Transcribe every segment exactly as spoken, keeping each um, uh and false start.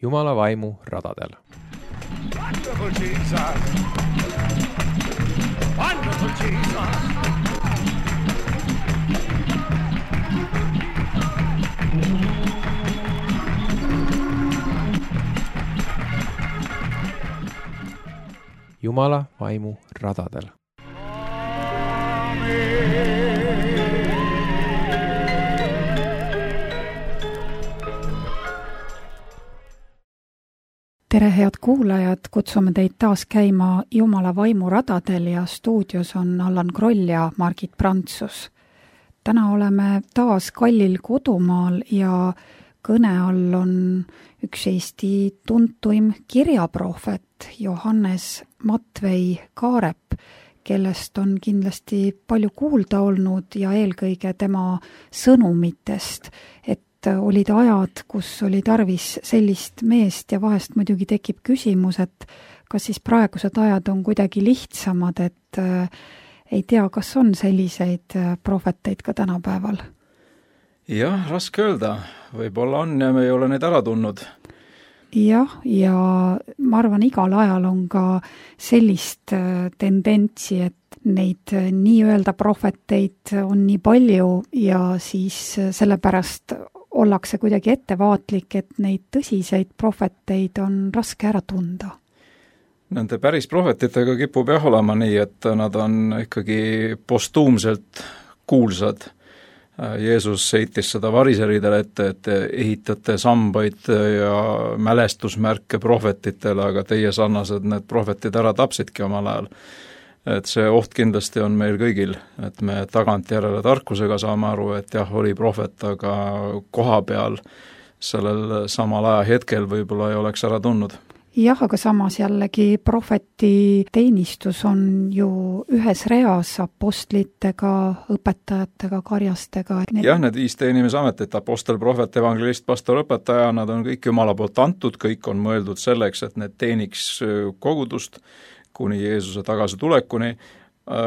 Jumala vaimu radadel. Wonderful Jesus! Wonderful Jesus! Jumala vaimu radadel. Tere, head kuulajad, kutsume teid taas käima Jumala vaimu radadel ja stuudios on Allan Kroll ja Margit Prantsus. Täna oleme taas kallil kodumaal ja kõne all on üks Eesti tuntuim kirjaprohvet Johannes Matvei Kaarep, kellest on kindlasti palju kuulda olnud ja eelkõige tema sõnumitest, et olid ajad, kus oli tarvis sellist meest ja vahest muidugi tekib küsimus, et kas siis praegused ajad on kuidagi lihtsamad, et äh, ei tea, kas on selliseid prohveteid ka tänapäeval? Jah, raske öelda. Võib-olla on ja me ei ole neid ära tundnud. Jah, ja ma arvan, igal ajal on ka sellist tendentsi, et neid nii-öelda prohveteid on nii palju ja siis sellepärast ollakse kuidagi ettevaatlik, et neid tõsiseid prohveteid on raske ära tunda. Nende päris prohvetitega kipub jah olema nii, et nad on ikkagi postuumselt kuulsad. Jeesus heitis seda variseridele ette, et ehitate sambaid ja mälestusmärke prohvetitele, aga teie sarnased need prohvetid ära tapsidki omal ajal. Et see oht kindlasti on meil kõigil, et me tagantjärele tarkusega saame aru, et jah, oli prohvet, aga koha peal sellel samal aja hetkel võib-olla ei oleks ära tundnud. Jah, aga samas jällegi prohveti teenistus on ju ühes reas apostlitega, õpetajatega, karjastega. Need... Jah, need viis teenimisametit, apostel, prohvet, evangelist, pastor, õpetaja, nad on kõik Jumala poolt antud, kõik on mõeldud selleks, et need teeniks kogudust kuni Jeesuse tagasi tulekuni.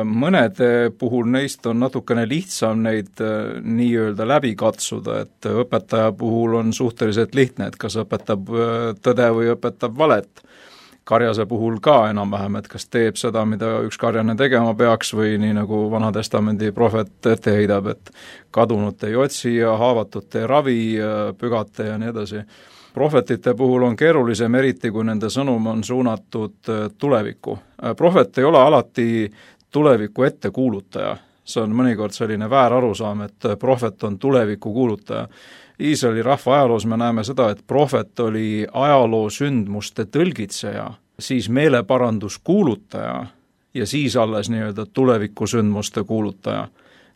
Mõned puhul neist on natukene lihtsam neid nii-öelda läbi katsuda, et õpetaja puhul on suhteliselt lihtne, et kas õpetab tõde või õpetab valet. Karjase puhul ka enam-vähem, et kas teeb seda, mida üks karjane tegema peaks või nii nagu Vanatestamendi prohvet ette heidab, et kadunut ei otsi ja haavatut ei ravi, pügate ja nii edasi. Prohvetite puhul on keerulisem, eriti kui nende sõnum on suunatud tulevikku. Prohvet ei ole alati tuleviku ettekuulutaja. See on mõnikord selline väär arusaam, et prohvet on tuleviku kuulutaja. Iisraeli rahva ajaloos me näeme seda, et prohvet oli ajaloo sündmuste tõlgitseja, siis meeleparandus kuulutaja ja siis alles nii-öelda tuleviku sündmuste kuulutaja.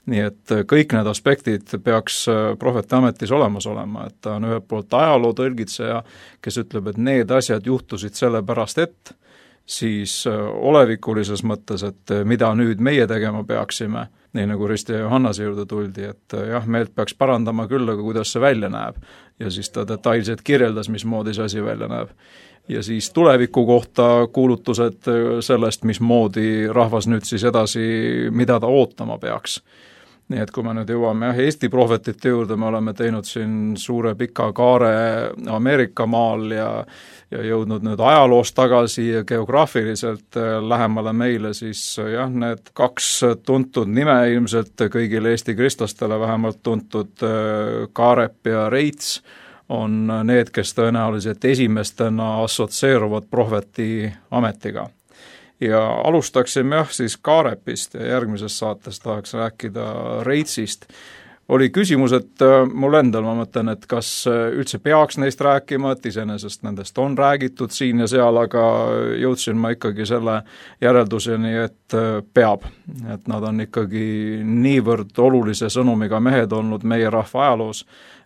Nii et kõik need aspektid peaks prohveti ametis olemas olema, et ta on ühelt poolt ajaloo tõlgitseja, kes ütleb, et need asjad juhtusid sellepärast, et siis olevikulises mõttes, et mida nüüd meie tegema peaksime, nii nagu Risti ja Johannase juurde tuldi, et jah, meelt peaks parandama küll, aga kuidas see välja näeb. Ja siis ta detailselt kirjeldas, mismoodi see asi välja näeb. Ja siis tuleviku kohta kuulutused sellest, mismoodi rahvas nüüd siis edasi, mida ta ootama peaks. Nii et kui me nüüd jõuame jah, Eesti prohvetite juurde, me oleme teinud siin suure pika kaare Ameerika maal ja, ja jõudnud nüüd ajaloos tagasi ja geograafiliselt lähemale meile, siis jah, need kaks tuntud nime ilmselt kõigile Eesti kristlastele vähemalt tuntud Kaarep ja Reits on need, kes tõenäoliselt esimestena assotsieeruvad prohveti ametiga. Ja alustaksime jah siis Kaarepist ja järgmises saates tahaks rääkida Reitsist. Oli küsimus, et mul endal ma mõtlen, et kas üldse peaks neist rääkima, et iseenesest nendest on räägitud siin ja seal, aga jõudsin ma ikkagi selle järelduseni, et peab. Et nad on ikkagi niivõrd olulise sõnumiga mehed olnud meie rahva ajaloos,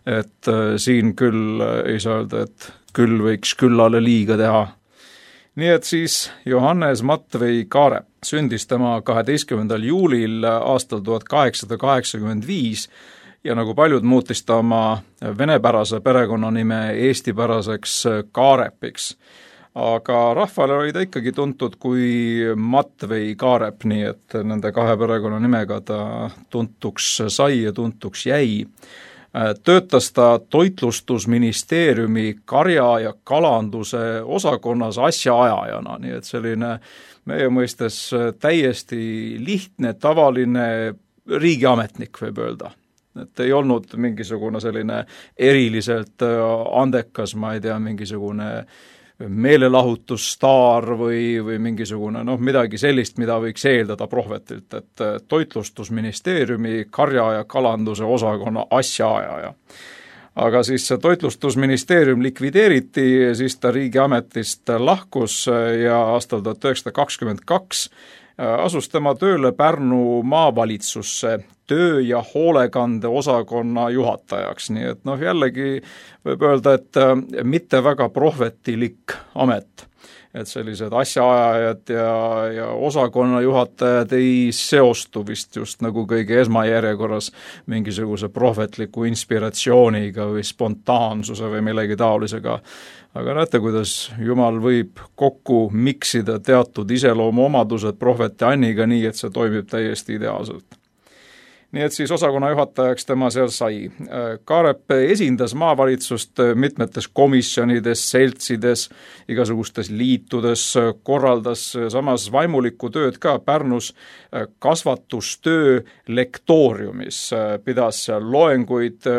et siin küll ei saa öelda, et küll võiks küllale liiga teha. Nii et siis Johannes Matvei Kaarep sündis tema kaheteistkümnendal juulil aastal tuhat kaheksasada kaheksakümmend viis ja nagu paljud muutis ta oma venepärase perekonnanime eestipäraseks Kaarepiks. Aga rahvale oli ta ikkagi tuntud kui Matvei Kaarep, nii et nende kahe perekonnanimega ta tuntuks sai ja tuntuks jäi. töötas ta toitlustusministeeriumi karja- ja kalanduse osakonnas asjaajajana, nii et selline meie mõistes täiesti lihtne, tavaline riigiametnik võib öelda. Et ei olnud mingisugune selline eriliselt andekas, ma ei tea, mingisugune meelelahutusstaar või, või mingisugune noh, midagi sellist, mida võiks eeldada prohvetilt, et toitlustusministeeriumi karja- ja kalanduse osakonna asjaajaja. Aga siis see toitlustusministeerium likvideeriti, siis ta riigiametist lahkus ja aastal tuhat üheksasada kakskümmend kaks asus tema tööle Pärnu maavalitsusse töö- ja hoolekande osakonna juhatajaks, nii et noh, jällegi võib öelda, et mitte väga prohvetilik amet. Et sellised asjaajajad ja, ja osakonna juhatajad ei seostu vist just nagu kõige esmajärjekorras mingisuguse prohvetliku inspiratsiooniga või spontaansuse või millegi taolisega. Aga näete, kuidas Jumal võib kokku miksida teatud iseloomu omadused prohveti Anniga nii, et see toimib täiesti ideaalselt. Nii et siis osakonna juhatajaks tema seal sai. Kaarep esindas maavalitsust mitmetes komisjonides, seltsides, igasugustes liitudes, korraldas samas vaimulikku tööd ka Pärnus kasvatustöö lektooriumis, pidas seal loenguid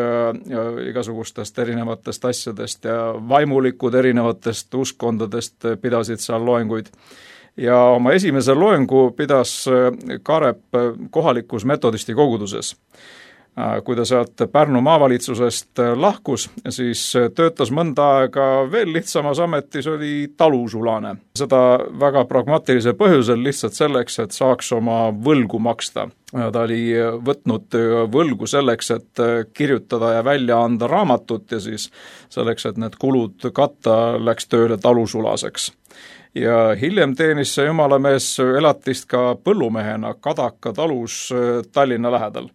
igasugustest erinevatest asjadest ja vaimulikud erinevatest uskondadest pidasid seal loenguid. Ja oma esimese loengu pidas Kaarep kohalikus metodisti koguduses. Kui ta sealt Pärnu maavalitsusest lahkus, siis töötas mõnda aega veel lihtsamas ametis, oli talusulane. Seda väga pragmaatilisel põhjusel lihtsalt selleks, et saaks oma võlgu maksta. Ta oli võtnud võlgu selleks, et kirjutada ja välja anda raamatut ja siis selleks, et need kulud katta, läks tööle talusulaseks. Ja hiljem teenis see jumalamees elatist ka põllumehena Kadaka talus Tallinna lähedal.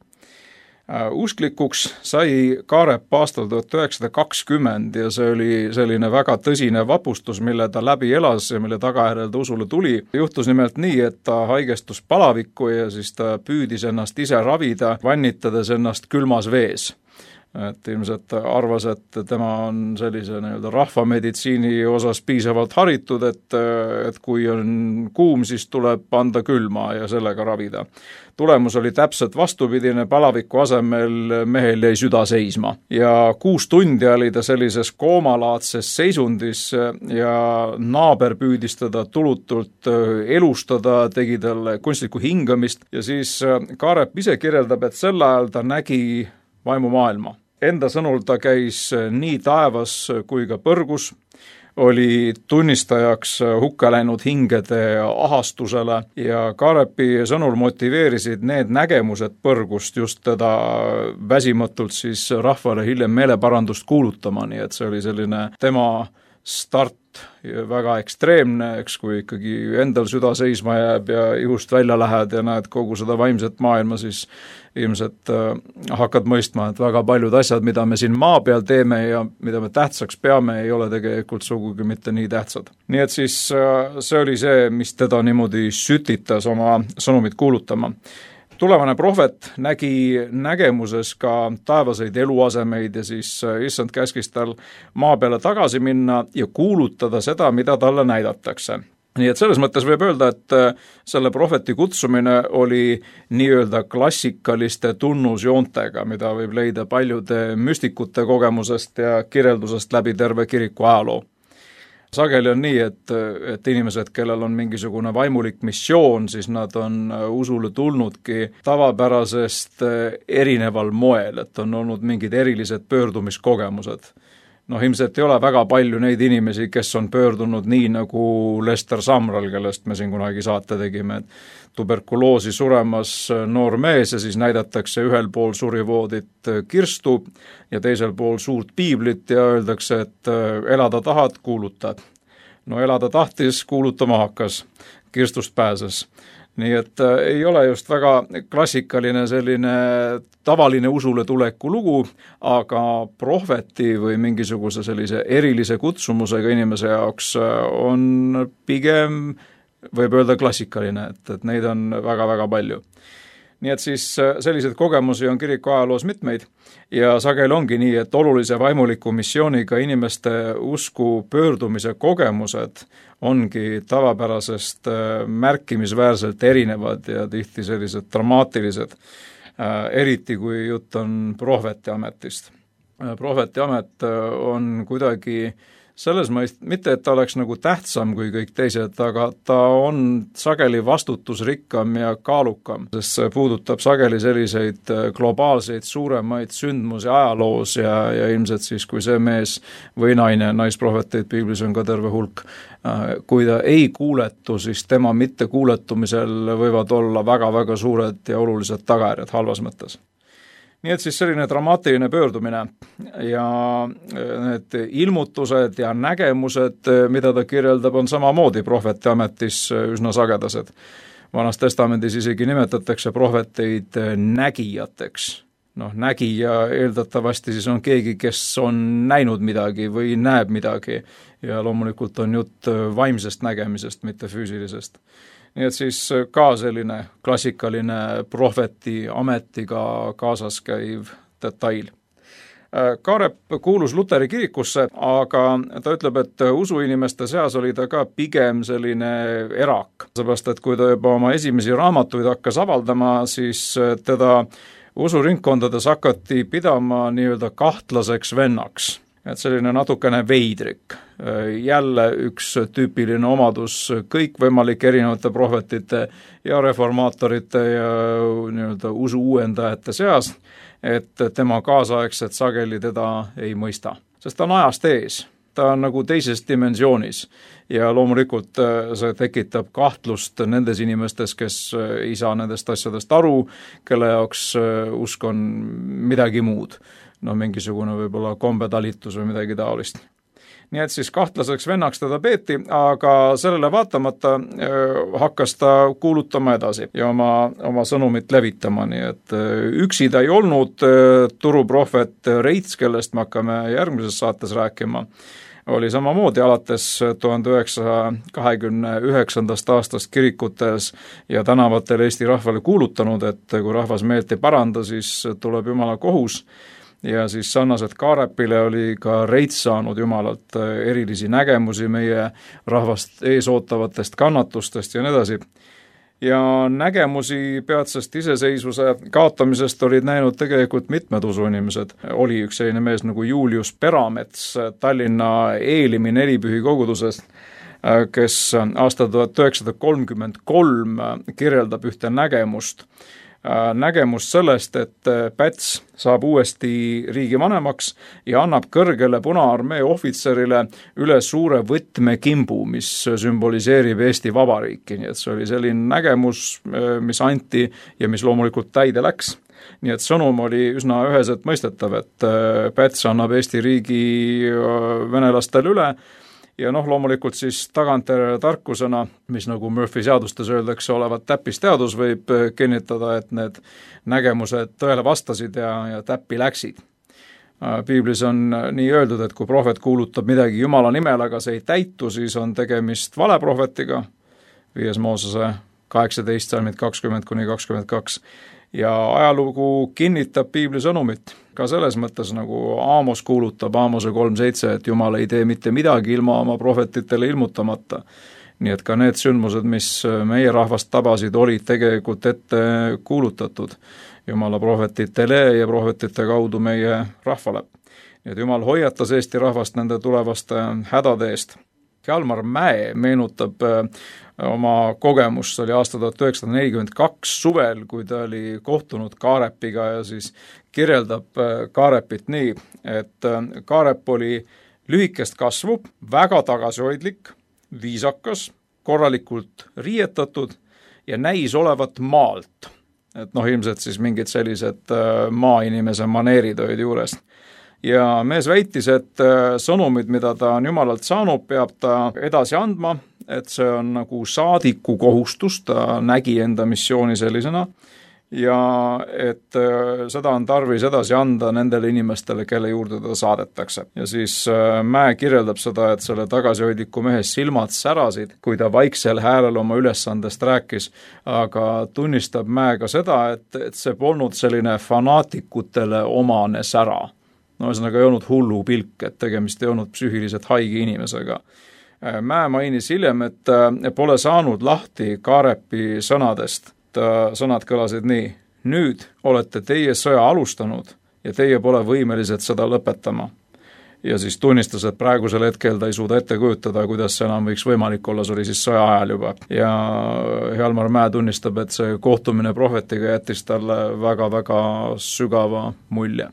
Usklikuks sai Kaarep aastal tuhat üheksasada kakskümmend ja see oli selline väga tõsine vapustus, mille ta läbi elas ja mille tagajärjel ta usule tuli. Juhtus nimelt nii, et ta haigestus palavikku ja siis ta püüdis ennast ise ravida, vannitades ennast külmas vees. Et ilmselt arvas, et tema on sellise nii-öelda rahvameditsiini osas piisavalt haritud, et, et kui on kuum, siis tuleb anda külma ja sellega ravida. Tulemus oli täpselt vastupidine, palaviku asemel mehel jäi süda seisma. Ja kuus tundi oli ta sellises koomalaadses seisundis ja naaber püüdis teda tulutult elustada, tegi talle kunstlikku hingamist ja siis Kaarep ise kirjeldab, et sel ajal ta nägi vaimumaailma. Enda sõnul ta käis nii taevas kui ka põrgus, oli tunnistajaks hukka läinud hingede ahastusele ja Kaarepi sõnul motiveerisid need nägemused põrgust just teda väsimatult siis rahvale hiljem meeleparandust kuulutama, nii et see oli selline tema start väga ekstreemne, eks kui ikkagi endal süda seisma jääb ja ihust välja lähed ja näed kogu seda vaimset maailma, siis ilmselt äh, hakkad mõistma, et väga paljud asjad, mida me siin maa peal teeme ja mida me tähtsaks peame, ei ole tegelikult sugugi mitte nii tähtsad. Nii et siis äh, see oli see, mis teda niimoodi sütitas oma sõnumit kuulutama. Tulevane prohvet nägi nägemuses ka taevaseid eluasemeid ja siis issand käskis tal maa peale tagasi minna ja kuulutada seda, mida talle näidatakse. Nii et selles mõttes võib öelda, et selle prohveti kutsumine oli nii-öelda klassikaliste tunnusjoontega, mida võib leida paljude müstikute kogemusest ja kirjeldusest läbi terve kiriku ajaloo. Sageli on nii, et, et inimesed, kellel on mingisugune vaimulik missioon, siis nad on usule tulnudki tavapärasest erineval moel, et on olnud mingid erilised pöördumiskogemused. Noh, ilmselt ei ole väga palju neid inimesi, kes on pöördunud nii nagu Lester Samral, kellest me siin kunagi saate tegime, et tuberkuloosi suremas noor mees ja siis näidatakse ühel pool surivoodit kirstu ja teisel pool suurt piiblit ja öeldakse, et elada tahad, kuulutad. No elada tahtis, kuulutama hakkas, kirstust pääses. Nii et äh, ei ole just väga klassikaline selline tavaline usule tuleku lugu, aga prohveti või mingisuguse sellise erilise kutsumusega inimese jaoks on pigem, võib öelda klassikaline, et, et neid on väga-väga palju. nii et siis selliseid kogemusi on kiriku ajaloos mitmeid ja sageli ongi nii, et olulise vaimuliku missiooniga inimeste usku pöördumise kogemused ongi tavapärasest märkimisväärselt erinevad ja tihti sellised dramaatilised, eriti kui jutt on prohveti ametist. Prohveti amet on kuidagi selles mõist, mitte et ta oleks nagu tähtsam kui kõik teised, aga ta on sageli vastutusrikkam ja kaalukam, sest see puudutab sageli selliseid globaalseid suuremaid sündmusi ajaloos ja, ja ilmselt siis, kui see mees või naine, naisprohveteid piiblis on ka terve hulk, kui ta ei kuuletu, siis tema mittekuuletumisel võivad olla väga-väga suured ja olulised tagajärjed halvas mõttes. Nii et siis selline dramaatiline pöördumine ja need ilmutused ja nägemused, mida ta kirjeldab, on samamoodi prohveti ametis üsna sagedased. Vanas testamendis isegi nimetatakse prohveteid nägijateks. Noh, nägija eeldatavasti siis on keegi, kes on näinud midagi või näeb midagi ja loomulikult on jutt vaimsest nägemisest, mitte füüsilisest. Nii et siis ka selline klassikaline prohveti ametiga kaasas käiv detail. Kaarep kuulus Luteri kirikusse, aga ta ütleb, et usuinimeste seas oli ta ka pigem selline erak. Seepärast, et kui ta juba oma esimesi raamatuid hakkas avaldama, siis teda usuringkondades hakati pidama nii-öelda kahtlaseks vennaks. Et selline natukene veidrik. Jälle üks tüüpiline omadus kõikvõimalike erinevate prohvetite ja reformaatorite ja nii-öelda usu uuendajate seas, et tema kaasaegsed sageli teda ei mõista. Sest ta on ajast ees, ta on nagu teises dimensioonis ja loomulikult see tekitab kahtlust nendes inimestes, kes ei saa nendest asjadest aru, kelle jaoks usk on midagi muud. No mingisugune võib-olla kombetalitus või midagi taolist. Nii et siis kahtlaseks vennaks teda peeti, aga sellele vaatamata hakkas ta kuulutama edasi ja oma, oma sõnumit levitama, nii et üksi ta ei olnud turuprohvet Reits, kellest me hakkame järgmises saates rääkima, oli samamoodi alates tuhande üheksasaja kahekümne üheksandast aastast kirikutes ja tänavatel Eesti rahvale kuulutanud, et kui rahvas meelt ei paranda, siis tuleb Jumala kohus. Ja siis sarnaselt Kaarepile oli ka Reits saanud Jumalalt erilisi nägemusi meie rahvast eesootavatest kannatustest ja nii edasi. Ja nägemusi peatsest iseseisvuse kaotamisest olid näinud tegelikult mitmed usuinimesed. Oli üks selline mees nagu Julius Peramets Tallinna Eelimi nelipühi kogudusest, kes aastal tuhat üheksasada kolmkümmend kolm kirjeldab ühte nägemust, nägemus sellest, et Päts saab uuesti riigivanemaks ja annab kõrgele Punaarmee ohvitserile üle suure võtmekimbu, mis sümboliseerib Eesti Vabariiki. Nii et see oli selline nägemus, mis anti ja mis loomulikult täide läks. Nii et sõnum oli üsna üheselt mõistetav, et Päts annab Eesti riigi venelastele üle. Ja noh, loomulikult siis tagantjärele tarkusena, mis nagu Murphy seadustes öeldakse olevat täppisteadus, võib kinnitada, et need nägemused tõele vastasid ja, ja täppi läksid. Piiblis on nii öeldud, et kui prohvet kuulutab midagi Jumala nimel, aga see ei täitu, siis on tegemist valeprohvetiga, viies Moosese kaheksateist salmid kakskümmend kuni kakskümmend kaks. Ja ajalugu kinnitab Piibli sõnumit ka selles mõttes, nagu Aamos kuulutab Aamose kolm seitse, et Jumal ei tee mitte midagi ilma oma prohvetitele ilmutamata. Nii et ka need sündmused, mis meie rahvast tabasid, olid tegelikult ette kuulutatud Jumala prohvetitele ja prohvetite kaudu meie rahvale. Nii et Jumal hoiatas Eesti rahvast nende tulevaste hädade eest. Hjalmar Mäe meenutab oma kogemust, oli aasta tuhat üheksasada nelikümmend kaks suvel, kui ta oli kohtunud Kaarepiga ja siis kirjeldab Kaarepit nii, et Kaarep oli lühikest kasvu, väga tagasihoidlik, viisakas, korralikult riietatud ja näis olevat maalt. Et noh, ilmselt siis mingid sellised maainimese maneerid olid juures. Ja mees väitis, et sõnumid, mida ta on Jumalalt saanud, peab ta edasi andma, et see on nagu saadiku kohustus, ta nägi enda missiooni sellisena ja et seda on tarvis edasi anda nendele inimestele, kelle juurde ta saadetakse. Ja siis Mäe kirjeldab seda, et selle tagasihoidliku mehe silmad särasid, kui ta vaiksel häälel oma ülesandest rääkis, aga tunnistab Mäe ka seda, et, et see polnud selline fanaatikutele omane sära. No ühesõnaga ei olnud hullu pilk, et tegemist ei olnud psüühiliselt haige inimesega. Mäe mainis hiljem, et pole saanud lahti Kaarepi sõnadest. Sõnad kõlasid nii: nüüd olete teie sõja alustanud ja teie pole võimelised seda lõpetama. Ja siis tunnistas, et praegusel hetkel ta ei suuda ette kujutada, kuidas see enam võiks võimalik olla, see oli siis sõja ajal juba. Ja Hjalmar Mäe tunnistab, et see kohtumine prohvetiga jättis talle väga-väga sügava mulje.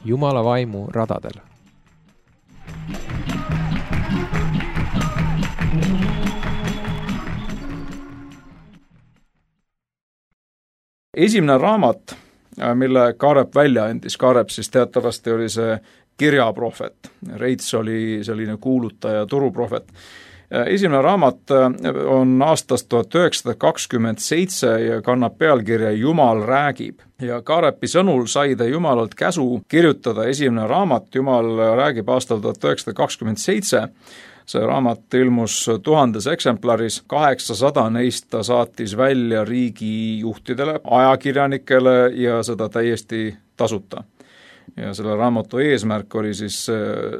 Jumala vaimu radadel. Esimene raamat, mille Kaarep välja andis, Kaarep siis teatavasti oli see kirjaprohvet, Reits oli selline kuulutaja, turuprohvet. Esimene raamat on aastast tuhat üheksasada kakskümmend seitse ja kannab pealkirja Jumal räägib. Ja Kaarepi sõnul sai ta Jumalalt käsu kirjutada esimene raamat, Jumal räägib aastal tuhat üheksasada kakskümmend seitse. See raamat ilmus tuhandes eksemplaris, kaheksasada neist ta saatis välja riigijuhtidele, ajakirjanikele ja seda täiesti tasuta. Ja selle raamatu eesmärk oli siis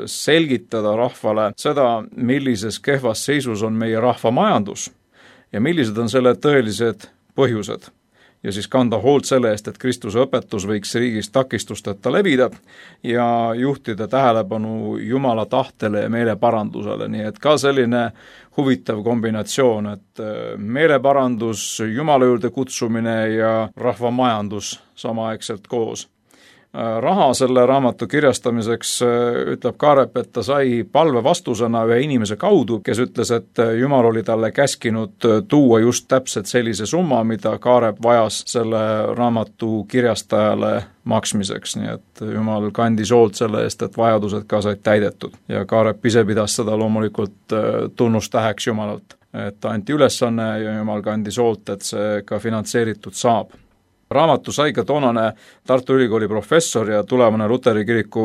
selgitada rahvale seda, millises kehvas seisus on meie rahva majandus ja millised on selle tõelised põhjused. Ja siis kanda hoolt selle eest, et Kristuse õpetus võiks riigis takistusteta levida ja juhtida tähelepanu Jumala tahtele ja meeleparandusele. Nii et ka selline huvitav kombinatsioon, et meeleparandus, Jumala juurde kutsumine ja rahva majandus samaaegselt koos. Raha selle raamatu kirjastamiseks ütleb Kaarep, et ta sai palve vastusena ühe inimese kaudu, kes ütles, et Jumal oli talle käskinud tuua just täpselt sellise summa, mida Kaarep vajas selle raamatu kirjastajale maksmiseks, nii et Jumal kandis hoolt selle eest, et vajadused ka said täidetud. Ja Kaarep ise pidas seda loomulikult tunnustäheks Jumalalt, et anti ülesanne ja Jumal kandis hoolt, et see ka finantseeritud saab. Raamatu sai ka toonane Tartu Ülikooli professor ja tulevane Luteri kiriku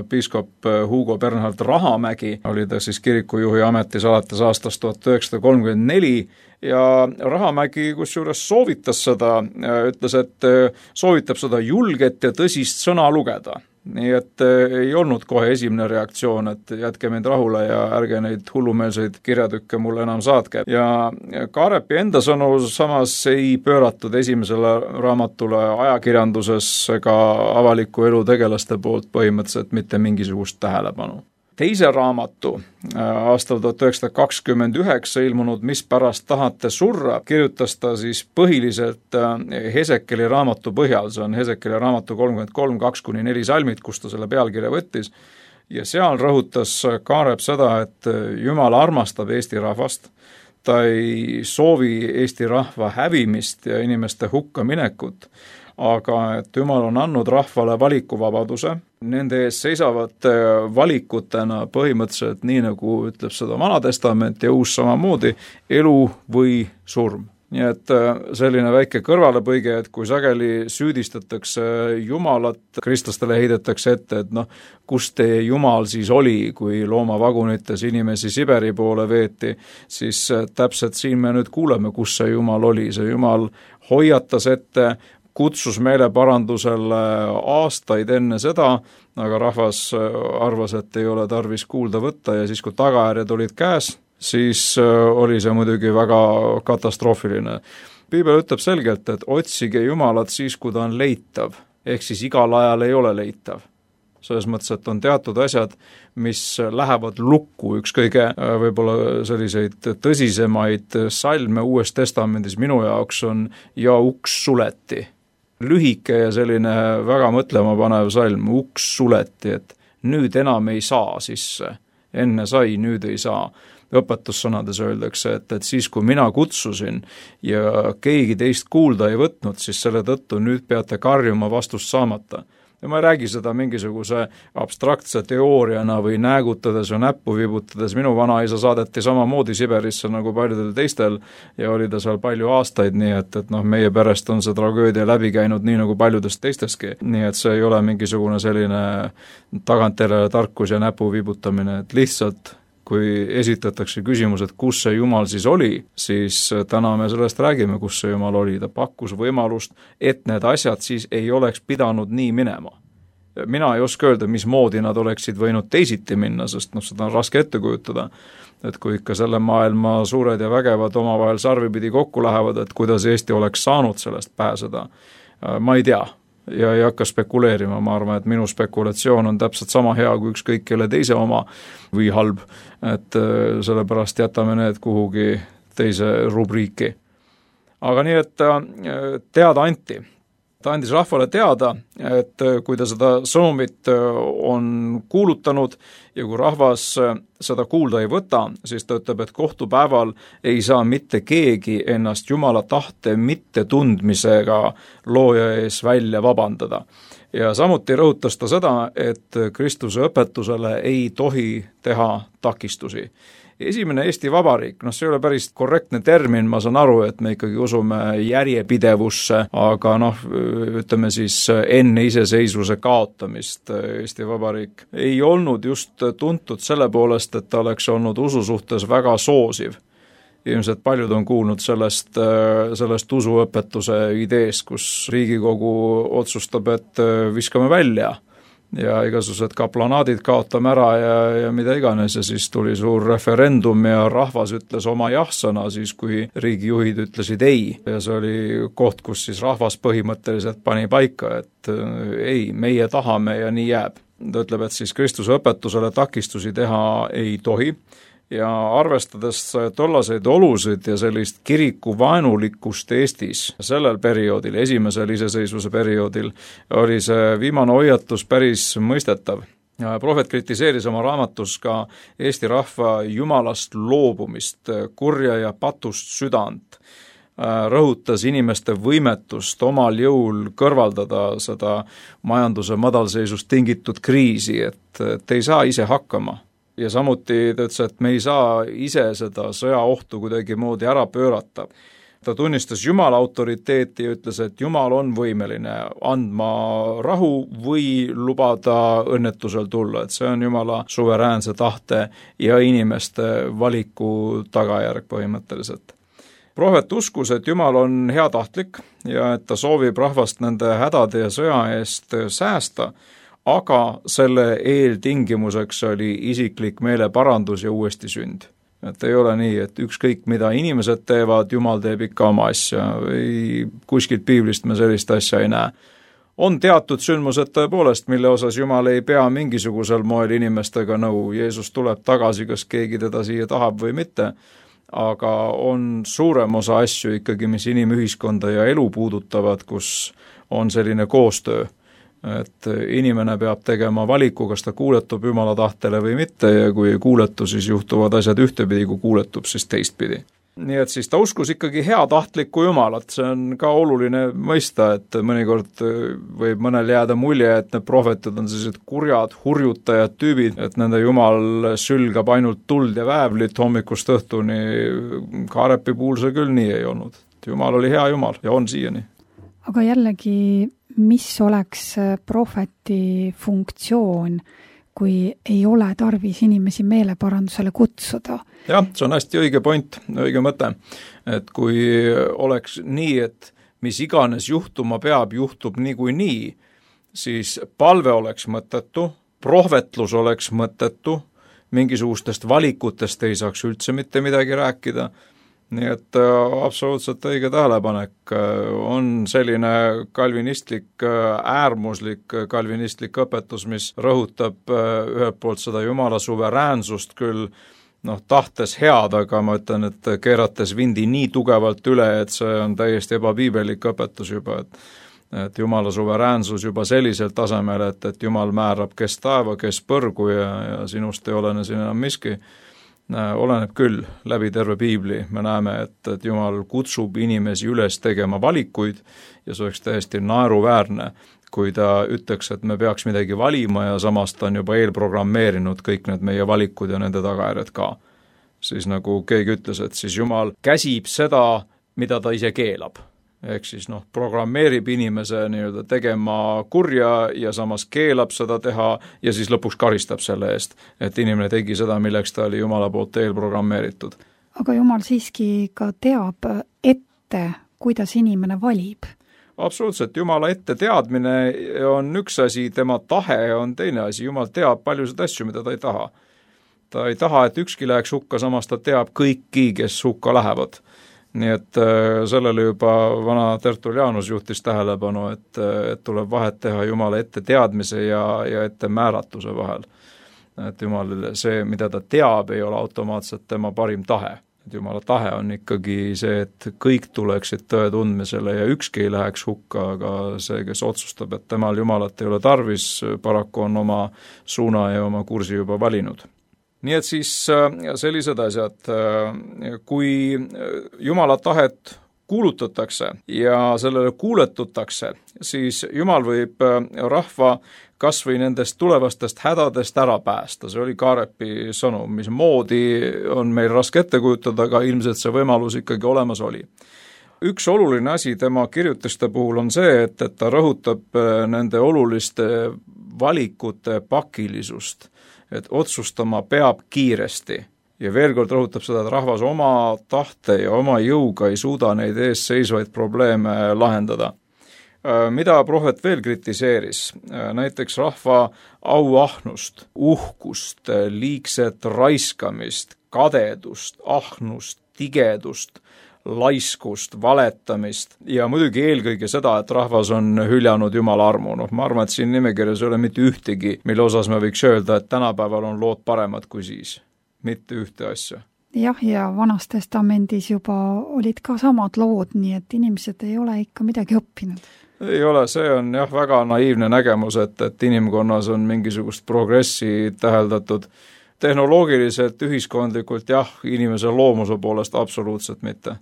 piiskop Hugo Bernhard Rahamägi, oli ta siis kirikujuhi ametis alates aastast tuhat üheksasada kolmkümmend neli ja Rahamägi kusjuures soovitas seda, ütles, et soovitab seda julget ja tõsist sõna lugeda. Nii et ei olnud kohe esimene reaktsioon, et jätke mind rahule ja ärge neid hullumeelseid kirjatükke mulle enam saatke. Ja Kaarepi enda sõnu samas ei pööratud esimesele raamatule ajakirjanduses ega avaliku elu tegelaste poolt põhimõtteliselt mitte mingisugust tähelepanu. Teise raamatu aastal tuhat üheksasada kakskümmend üheksa ilmunud Mis pärast tahate surra, kirjutas ta siis põhiliselt Hesekeli raamatu põhjal, see on Hesekeli raamatu kolmkümmend kolm, kaks kuni neli salmid, kus ta selle pealkirja võttis. Ja seal rõhutas Kaarep seda, et Jumal armastab Eesti rahvast, ta ei soovi Eesti rahva hävimist ja inimeste hukka minekut, aga et Jumal on andnud rahvale valikuvabaduse, nende ees seisavad valikutena põhimõtteliselt nii, nagu ütleb seda Vana Testament ja Uus samamoodi, elu või surm. Nii et selline väike kõrvalepõige, et kui sageli süüdistatakse Jumalat, kristlastele heidetakse ette, et noh, kus teie Jumal siis oli, kui loomavagunites inimesi Siberi poole veeti, siis täpselt siin me nüüd kuuleme, kus see Jumal oli. See Jumal hoiatas ette, kutsus meeleparandusele aastaid enne seda, aga rahvas arvas, et ei ole tarvis kuulda võtta ja siis, kui tagajärjed olid käes, siis oli see muidugi väga katastroofiline. Piibel ütleb selgelt, et otsige Jumalat siis, kui ta on leitav, ehk siis igal ajal ei ole leitav. Selles mõttes, et on teatud asjad, mis lähevad lukku, üks kõige võib-olla selliseid tõsisemaid salme Uues Testamendis minu jaoks on ja uks suleti. Lühike ja selline väga mõtlema panev salm, uks suleti, et nüüd enam ei saa sisse, enne sai, nüüd ei saa. Õpetussõnades öeldakse, et, et siis, kui mina kutsusin ja keegi teist kuulda ei võtnud, siis selle tõttu nüüd peate karjuma vastust saamata. ja ma ei räägi seda mingisuguse abstraktse teooriana või näägutades või näppu vibutades, minu vanaisa saadeti samamoodi Siberisse nagu paljudel teistel ja oli ta seal palju aastaid, nii et, et noh, meie perest on see tragöödia läbi käinud nii nagu paljudest teisteski, nii et see ei ole mingisugune selline tagantjärele tarkus ja näpu vibutamine, et lihtsalt kui esitatakse küsimus, et kus see Jumal siis oli, siis täna me sellest räägime, kus see Jumal oli. Ta pakkus võimalust, et need asjad siis ei oleks pidanud nii minema. Mina ei oska öelda, mismoodi nad oleksid võinud teisiti minna, sest noh, seda on raske ette kujutada. Et kui ikka selle maailma suured ja vägevad omavahel sarvipidi kokku lähevad, et kuidas Eesti oleks saanud sellest pääseda, ma ei tea. Ja ei hakka spekuleerima, ma arvan, et minu spekulatsioon on täpselt sama hea kui ükskõik kelle teise oma või halb, et sellepärast jätame need kuhugi teise rubriiki. Aga nii, et teada anti. Ta andis rahvale teada, et kui ta seda sõnumit on kuulutanud ja kui rahvas seda kuulda ei võta, siis ta ütleb, et kohtupäeval ei saa mitte keegi ennast Jumala tahte mittetundmisega looja ees välja vabandada. Ja samuti rõhutas ta seda, et Kristuse õpetusele ei tohi teha takistusi. Esimene Eesti Vabariik, noh see ei ole päris korrektne termin, ma saan aru, et me ikkagi usume järjepidevusse, aga noh, ütleme siis enne iseseisvuse kaotamist Eesti Vabariik ei olnud just tuntud selle poolest, et ta oleks olnud usu suhtes väga soosiv. Ilmselt paljud on kuulnud sellest, sellest usuõpetuse ideest, kus Riigikogu otsustab, et viskame välja ja igasugused kaplanaadid kaotame ära ja, ja mida iganes ja siis tuli suur referendum ja rahvas ütles oma jah-sõna siis, kui riigijuhid ütlesid ei. Ja see oli koht, kus siis rahvas põhimõtteliselt pani paika, et ei, meie tahame ja nii jääb. Ta ütleb, et siis Kristuse õpetusele takistusi teha ei tohi ja arvestades tollaseid olusid ja sellist kiriku vaenulikkust Eestis sellel perioodil, esimesel iseseisvuse perioodil, oli see viimane hoiatus päris mõistetav. Ja prohvet kritiseeris oma raamatus ka Eesti rahva Jumalast loobumist, kurja ja patust südant, rõhutas inimeste võimetust omal jõul kõrvaldada seda majanduse madalseisust tingitud kriisi, et, et ei saa ise hakkama. Ja samuti ta ütles, et me ei saa ise seda sõjaohtu kuidagi moodi ära pöörata. Ta tunnistas Jumala autoriteeti ja ütles, et Jumal on võimeline andma rahu või lubada õnnetusel tulla, et see on Jumala suveräänse tahte ja inimeste valiku tagajärg põhimõtteliselt. Prohvet uskus, et Jumal on heatahtlik ja et ta soovib rahvast nende hädade ja sõja eest säästa, aga selle eeltingimuseks oli isiklik meeleparandus ja uuesti sünd. Et ei ole nii, et ükskõik mida inimesed teevad, Jumal teeb ikka oma asja. Ei, kuskilt piiblist me sellist asja ei näe. On teatud sündmused tõepoolest, mille osas Jumal ei pea mingisugusel moel inimestega nõu. Jeesus tuleb tagasi, kas keegi teda siia tahab või mitte, aga on suurem osa asju ikkagi, mis inimühiskonda ja elu puudutavad, kus on selline koostöö. Et inimene peab tegema valiku, kas ta kuuletub Jumala tahtele või mitte ja kui ei kuuletu, siis juhtuvad asjad ühtepidi, kui kuuletub, siis teistpidi. Nii et siis ta uskus ikkagi heatahtlikku Jumalat, see on ka oluline mõista, et mõnikord võib mõnel jääda mulje, et need prohvetid on sellised kurjad, hurjutajad tüübid, et nende Jumal sülgab ainult tuld ja väävlit hommikust õhtuni, Kaarepi puhul see küll nii ei olnud. Jumal oli hea Jumal ja on siiani. Aga jällegi, mis oleks prohveti funktsioon, kui ei ole tarvis inimesi meeleparandusele kutsuda? Jah, see on hästi õige point, õige mõte. Et kui oleks nii, et mis iganes juhtuma peab, juhtub nii kui nii, siis palve oleks mõttetu, prohvetlus oleks mõttetu, mingisugustest valikutest ei saaks üldse mitte midagi rääkida. Nii et absoluutselt õige tähelepanek on selline kalvinistlik, äärmuslik kalvinistlik õpetus, mis rõhutab ühelt poolt seda Jumala suveräänsust küll noh, tahtes head, aga ma ütlen, et keerates vindi nii tugevalt üle, et see on täiesti ebapiibelik õpetus juba, et, et Jumala suveräänsus juba sellisel tasemel, et, et Jumal määrab, kes taeva, kes põrgu ja, ja sinust ei olene siin enam miski. Oleneb küll läbi terve piibli, me näeme, et, et Jumal kutsub inimesi üles tegema valikuid ja see oleks täiesti naeruväärne, kui ta ütleks, et me peaks midagi valima ja samas ta on juba eelprogrammeerinud kõik need meie valikud ja nende tagajärjed ka. Siis nagu keegi ütles, et siis Jumal käsib seda, mida ta ise keelab. Ehk siis noh, programmeerib inimese nii-öelda tegema kurja ja samas keelab seda teha ja siis lõpuks karistab selle eest, et inimene tegi seda, milleks ta oli Jumala poolt eelprogrammeeritud. Aga Jumal siiski ka teab ette, kuidas inimene valib. Absoluutselt, Jumala ette teadmine on üks asi, tema tahe on teine asi. Jumal teab paljusid asju, mida ta ei taha. Ta ei taha, et ükski läheks hukka, samas ta teab kõiki, kes hukka lähevad. Nii et sellele juba vana Tertullianus juhtis tähelepanu, et, et tuleb vahet teha Jumala ette teadmise ja, ja ette määratuse vahel. Et Jumal, see, mida ta teab, ei ole automaatselt tema parim tahe. Et Jumala tahe on ikkagi see, et kõik tuleksid tõe tundmisele ja ükski ei läheks hukka, aga see, kes otsustab, et temal Jumalat ei ole tarvis, paraku on oma suuna ja oma kursi juba valinud. Nii et siis sellised asjad, kui Jumala tahet kuulutatakse ja sellele kuuletutakse, siis Jumal võib rahva kas või nendest tulevastest hädadest ära päästa. See oli Kaarepi sõnum, mis moodi on meil raske ette kujutada, aga ilmselt see võimalus ikkagi olemas oli. Üks oluline asi tema kirjutiste puhul on see, et, et ta rõhutab nende oluliste valikute pakilisust, et otsustama peab kiiresti ja veel kord rõhutab seda, et rahvas oma tahte ja oma jõuga ei suuda neid ees seisvaid probleeme lahendada. Mida prohvet veel kritiseeris? Näiteks rahva auahnust, uhkust, liigset raiskamist, kadedust, ahnust, tigedust, laiskust, valetamist ja muidugi eelkõige seda, et rahvas on hüljanud Jumala armu. No, ma arvan, et siin nimekirjas ei ole mitte ühtegi, mille osas me võiks öelda, et tänapäeval on lood paremad kui siis. Mitte ühte asja. Jah, ja Vanas Testamendis juba olid ka samad lood, nii et inimesed ei ole ikka midagi õppinud. Ei ole, see on jah väga naiivne nägemus, et, et inimkonnas on mingisugust progressi täheldatud. Tehnoloogiliselt, ühiskondlikult jah, inimese loomuse poolest absoluutselt mitte.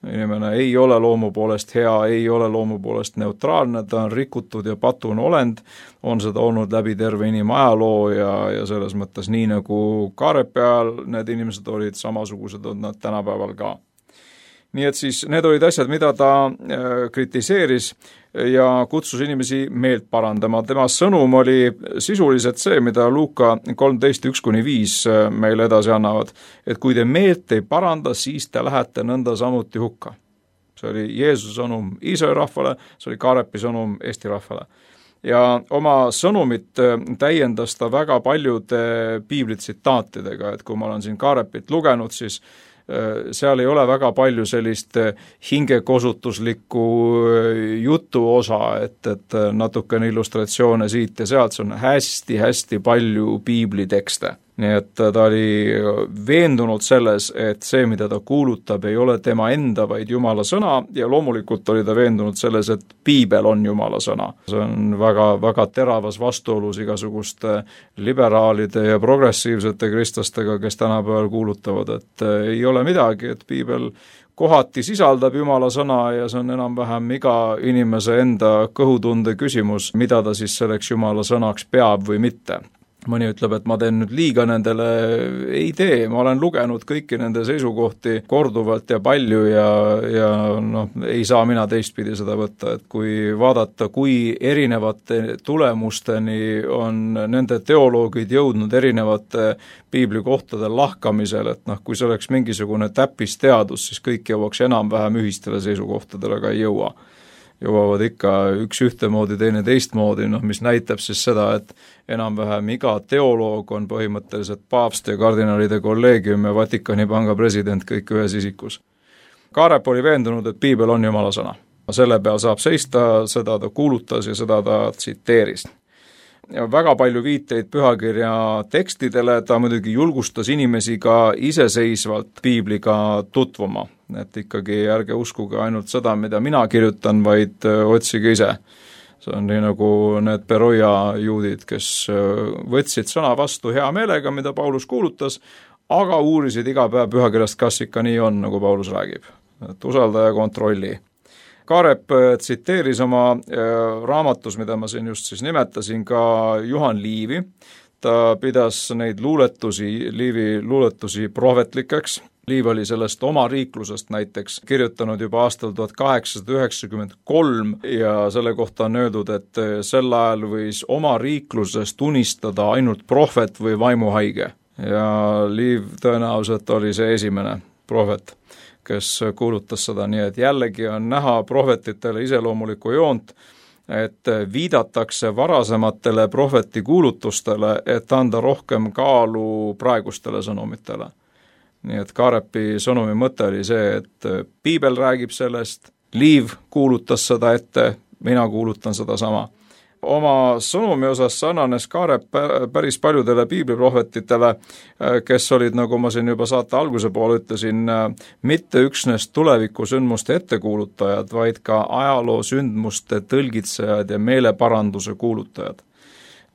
Inimene ei ole loomu poolest hea, ei ole loomu poolest neutraalne, ta on rikutud ja patun olend, on seda olnud läbi terve inimajaloo ja, ja selles mõttes nii nagu Kaarepi ajal need inimesed olid samasugused, on nad tänapäeval ka. Nii et siis need olid asjad, mida ta kritiseeris ja kutsus inimesi meelt parandama. Tema sõnum oli sisuliselt see, mida Luuka kolmteist üks kuni viis meile edasi annavad, et kui te meelt ei paranda, siis te lähete nõnda samuti hukka. See oli Jeesuse sõnum Iisraeli rahvale, see oli Kaarepi sõnum Eesti rahvale. Ja oma sõnumit täiendas ta väga paljude piiblitsitaatidega, et kui ma olen siin Kaarepit lugenud, siis seal ei ole väga palju sellist hingekosutuslikku jutu osa, et, et natukene illustratsioone siit ja sealt, see on hästi-hästi palju piiblitekste. Nii et ta oli veendunud selles, et see, mida ta kuulutab, ei ole tema enda, vaid Jumala sõna ja loomulikult oli ta veendunud selles, et piibel on Jumala sõna. See on väga, väga teravas vastuolus igasuguste liberaalide ja progressiivsete kristlastega, kes tänapäeval kuulutavad, et ei ole midagi, et piibel kohati sisaldab Jumala sõna ja see on enam-vähem iga inimese enda kõhutunde küsimus, mida ta siis selleks Jumala sõnaks peab või mitte. Mõni ütleb, et ma teen nüüd liiga nendele, ei tee, ma olen lugenud kõiki nende seisukohti korduvalt ja palju ja, ja noh, ei saa mina teistpidi seda võtta, et kui vaadata, kui erinevate tulemusteni on nende teoloogid jõudnud erinevate piiblikohtade lahkamisel, et noh, kui see oleks mingisugune täppisteadus, siis kõik jõuaks enam-vähem ühistele seisukohtadele, aga ei jõua. Jõuavad ikka üks ühtemoodi, teine teistmoodi, noh, mis näitab siis seda, et enam-vähem iga teoloog on põhimõtteliselt paavst ja kardinalide kolleegium ja Vatikani panga president kõik ühes isikus. Kaarep oli veendunud, et piibel on Jumala sõna. Selle peal saab seista, seda ta kuulutas ja seda ta tsiteeris. Ja väga palju viiteid pühakirja tekstidele, ta muidugi julgustas inimesi ka iseseisvalt piibliga tutvuma, et ikkagi ärge uskuge ainult seda, mida mina kirjutan, vaid otsige ise. See on nii nagu need Beroia juudid, kes võtsid sõna vastu hea meelega, mida Paulus kuulutas, aga uurisid iga päev pühakirjast, kas ikka nii on, nagu Paulus räägib. Et usalda ja kontrolli. Kaarep tsiteeris oma raamatus, mida ma siin just siis nimetasin, ka Juhan Liivi. Ta pidas neid luuletusi, Liivi luuletusi prohvetlikeks. Liiv oli sellest oma riiklusest näiteks kirjutanud juba aastal tuhat kaheksasada üheksakümmend kolm ja selle kohta on öeldud, et sel ajal võis oma riiklusest unistada ainult prohvet või vaimuhaige. Ja Liiv tõenäoliselt oli see esimene prohvet, kes kuulutas seda, nii et jällegi on näha prohvetitele iseloomulikku joont, et viidatakse varasematele prohveti kuulutustele, et anda rohkem kaalu praegustele sõnumitele. Nii et Kaarepi sõnumi mõte oli see, et piibel räägib sellest, Liiv kuulutas seda ette, mina kuulutan seda sama. Oma sõnumi osas sarnanes Kaarep päris paljudele piibliprohvetitele, kes olid, nagu ma siin juba saate alguse poole ütlesin, mitte üksnes tulevikusündmuste ettekuulutajad, vaid ka ajaloo sündmuste tõlgitsejad ja meeleparanduse kuulutajad.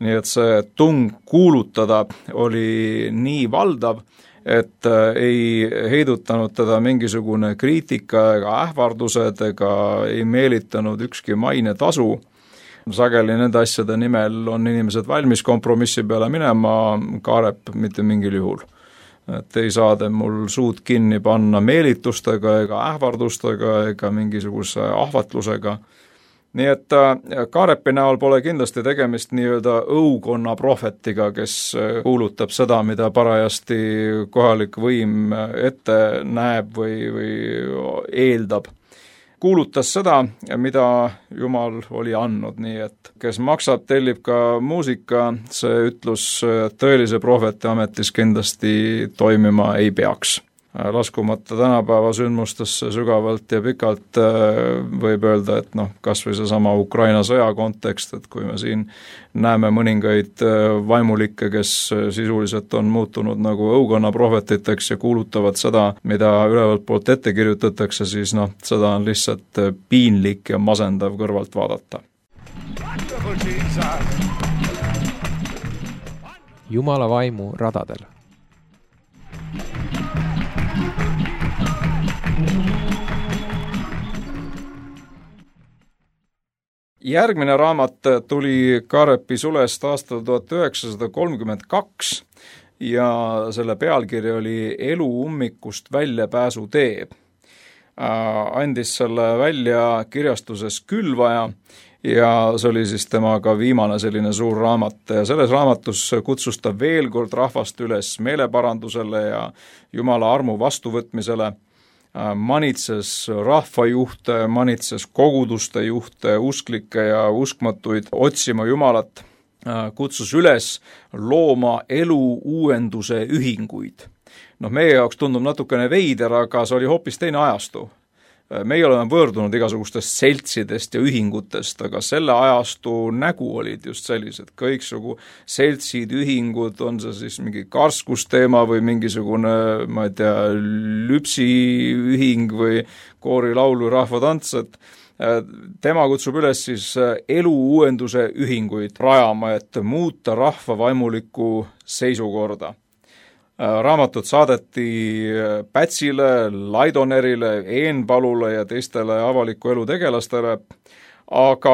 Nii et see tung kuulutada oli nii valdav, et ei heidutanud teda mingisugune kriitika ega ähvardused ega ei meelitanud ükski maine tasu. Sageli nende asjade nimel on inimesed valmis kompromissi peale minema, Kaarep mitte mingil juhul. Et ei saade mul suud kinni panna meelitustega ega ähvardustega ega mingisuguse ahvatlusega. Nii et Kaarepi näol pole kindlasti tegemist nii-öelda õukonna prohvetiga, kes kuulutab seda, mida parajasti kohalik võim ette näeb või, või eeldab. Kuulutas seda, mida Jumal oli andnud, nii et kes maksab, tellib ka muusika, see ütlus tõelise prohveti ametis kindlasti toimima ei peaks. Laskumata tänapäeva sündmustesse sügavalt ja pikalt võib öelda, et noh, kas või see sama Ukraina sõja kontekst, et kui me siin näeme mõningaid vaimulikke, kes sisuliselt on muutunud nagu õukonna prohvetiteks ja kuulutavad seda, mida ülevalt poolt ette kirjutatakse, siis noh, seda on lihtsalt piinlik ja masendav kõrvalt vaadata. Jumala vaimu radadel. Järgmine raamat tuli Kaarepi sulest aastal tuhat üheksasada kolmkümmend kaks ja selle pealkiri oli Elu ummikust väljapääsu tee. Andis selle välja kirjastuses Külvaja ja see oli siis temaga viimane selline suur raamat ja selles raamatus kutsus ta veel kord rahvast üles meeleparandusele ja Jumala armu vastuvõtmisele. Manitses rahvajuhte, manitses koguduste juhte, usklikke ja uskmatuid otsima Jumalat, kutsus üles looma elu uuenduse ühinguid. Noh, meie jaoks tundub natukene veider, aga see oli hoopis teine ajastu. Meie oleme võõrdunud igasugustest seltsidest ja ühingutest, aga selle ajastu nägu olid just sellised, kõiksugu seltsid, ühingud, on see siis mingi karskusteema või mingisugune, ma ei tea, lüpsiühing või koorilaulu rahvatants, et tema kutsub üles siis elu uuenduse ühinguid rajama, et muuta rahva vaimulikku seisukorda. Raamatut saadeti Pätsile, Laidonerile, Eenpalule ja teistele avaliku elu tegelastele, aga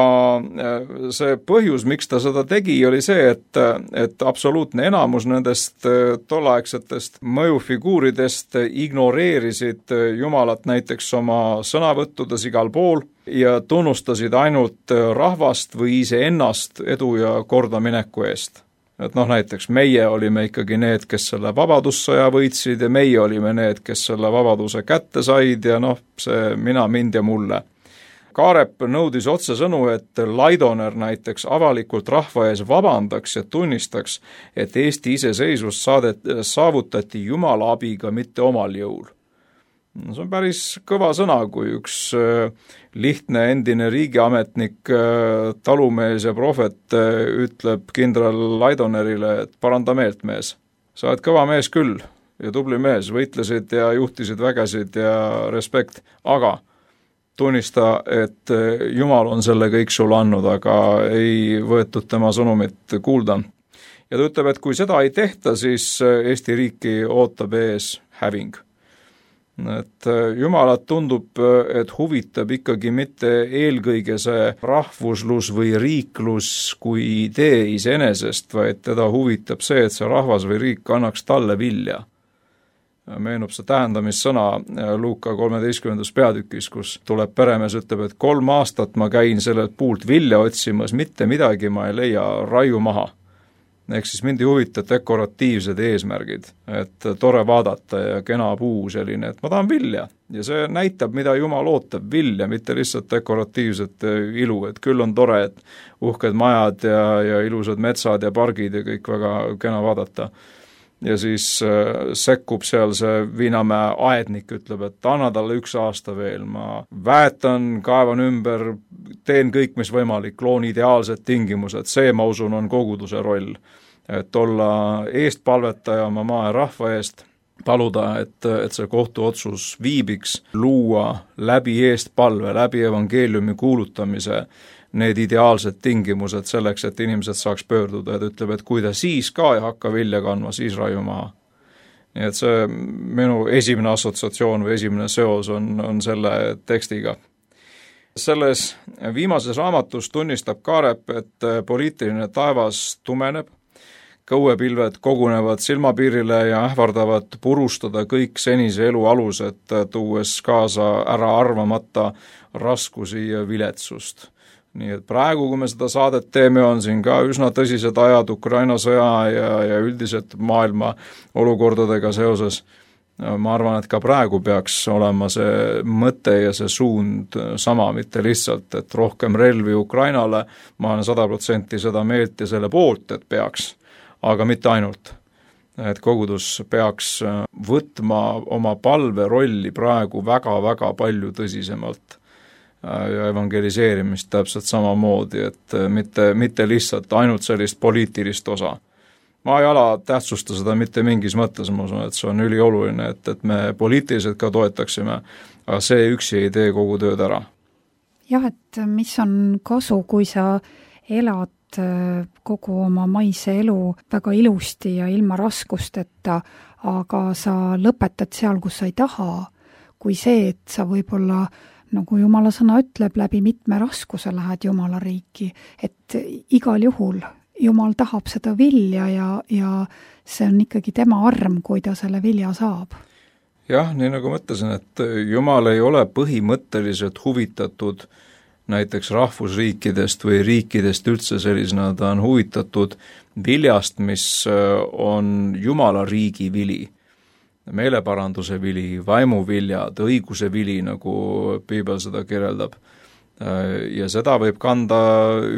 see põhjus, miks ta seda tegi, oli see, et, et absoluutne enamus nendest tolleaegsetest mõjufiguuridest ignoreerisid Jumalat näiteks oma sõnavõttudes igal pool ja tunnustasid ainult rahvast või iseennast edu ja kordamineku eest. Et noh, näiteks meie olime ikkagi need, kes selle vabadussõja võitsid ja meie olime need, kes selle vabaduse kätte said ja noh, see mina, mind ja mulle. Kaarep nõudis otsesõnu, et Laidoner näiteks avalikult rahva ees vabandaks ja tunnistaks, et Eesti iseseisvus saadet, saavutati Jumala abiga, mitte omal jõul. See on päris kõva sõna, kui üks lihtne endine riigiametnik, talumees ja prohvet ütleb kindral Laidonerile, et paranda meelt, mees. Sa oled kõva mees küll ja tubli mees, võitlesid ja juhtisid vägesid ja respekt, aga tunnista, et Jumal on selle kõik sulle andnud, aga ei võetud tema sõnumit kuulda. Ja ta ütleb, et kui seda ei tehta, siis Eesti riiki ootab ees häving. et Jumalat tundub, et huvitab ikkagi mitte eelkõige see rahvuslus või riiklus kui idee iseenesest, vaid teda huvitab see, et see rahvas või riik annaks talle vilja. Meenub see tähendamissõna Luuka kolmeteistkümnendas peatükis, kus tuleb peremees, ütleb, et kolm aastat ma käin sellelt puult vilja otsimas, mitte midagi ma ei leia, raiu maha. Ehk siis mind ei huvita dekoratiivsed eesmärgid, et tore vaadata ja kena puu selline, et ma tahan vilja. Ja see näitab, mida Jumal ootab, vilja, mitte lihtsalt dekoratiivset ilu, et küll on tore, et uhked majad ja, ja ilusad metsad ja pargid ja kõik väga kena vaadata. Ja siis äh, sekkub seal see Viinamäe aednik, ütleb, et anna talle üks aasta veel, ma väetan, kaevan ümber, teen kõik, mis võimalik, loon ideaalsed tingimused, see, ma usun, on koguduse roll. Et olla eestpalvetaja oma maa ja rahva eest, paluda, et, et see kohtuotsus viibiks, luua läbi eestpalve, läbi evangeeliumi kuulutamise need ideaalsed tingimused selleks, et inimesed saaks pöörduda, et ütleb, et kui ta siis ka ei hakka vilja kandma, siis raiu maha. Nii et see minu esimene assotsiatsioon või esimene seos on, on selle tekstiga. Selles viimases raamatus tunnistab Kaarep, et poliitiline taevas tumeneb, kõuepilved kogunevad silmapiirile ja ähvardavad purustada kõik senise elu alused, tuues kaasa ära arvamata raskusi ja viletsust. Nii et praegu, kui me seda saadet teeme, on siin ka üsna tõsised ajad Ukraina sõja ja, ja üldiselt maailma olukordadega seoses. Ma arvan, et ka praegu peaks olema see mõte ja see suund sama, mitte lihtsalt, et rohkem relvi Ukrainale, ma olen sada protsenti seda meelt ja selle poolt, et peaks, aga mitte ainult. Et kogudus peaks võtma oma palve rolli praegu väga-väga palju tõsisemalt ja evangeliseerimist täpselt samamoodi, et mitte, mitte lihtsalt ainult sellist poliitilist osa. Ma ei ala tähtsusta seda mitte mingis mõttes, ma usun, et see on ülioluline, et, et me poliitiliselt ka toetaksime, aga see üksi ei tee kogu tööd ära. Jah, et mis on kasu, kui sa elad kogu oma maise elu väga ilusti ja ilma raskusteta, aga sa lõpetad seal, kus sa ei taha, kui see, et sa võib-olla nagu Jumala sõna ütleb, läbi mitme raskuse lähed Jumala riiki, et igal juhul Jumal tahab seda vilja ja, ja see on ikkagi tema arm, kui ta selle vilja saab. Jah, nii nagu mõtlesin, et Jumal ei ole põhimõtteliselt huvitatud näiteks rahvusriikidest või riikidest üldse sellisena, ta on huvitatud viljast, mis on Jumala riigi vili. Meeleparanduse vili, vaimuviljad, õiguse vili, nagu Piibel seda kirjeldab. Ja seda võib kanda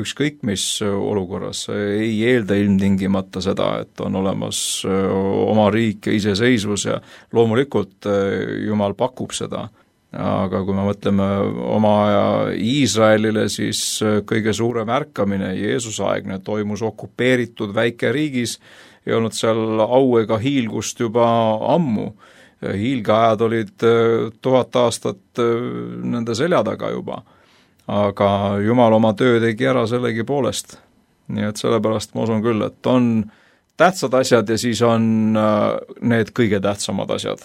ükskõik mis olukorras, ei eelda ilmtingimata seda, et on olemas oma riik ja iseseisvus ja loomulikult Jumal pakub seda. Aga kui me mõtleme oma aja Iisraelile, siis kõige suurem ärkamine Jeesusaegne toimus okupeeritud väikeriigis, ei olnud seal au ega hiilgust juba ammu. Hiilgeajad olid tuhat aastat nende selja taga juba, aga Jumal oma töö tegi ära sellegi poolest. Nii et sellepärast ma usun küll, et on tähtsad asjad ja siis on need kõige tähtsamad asjad.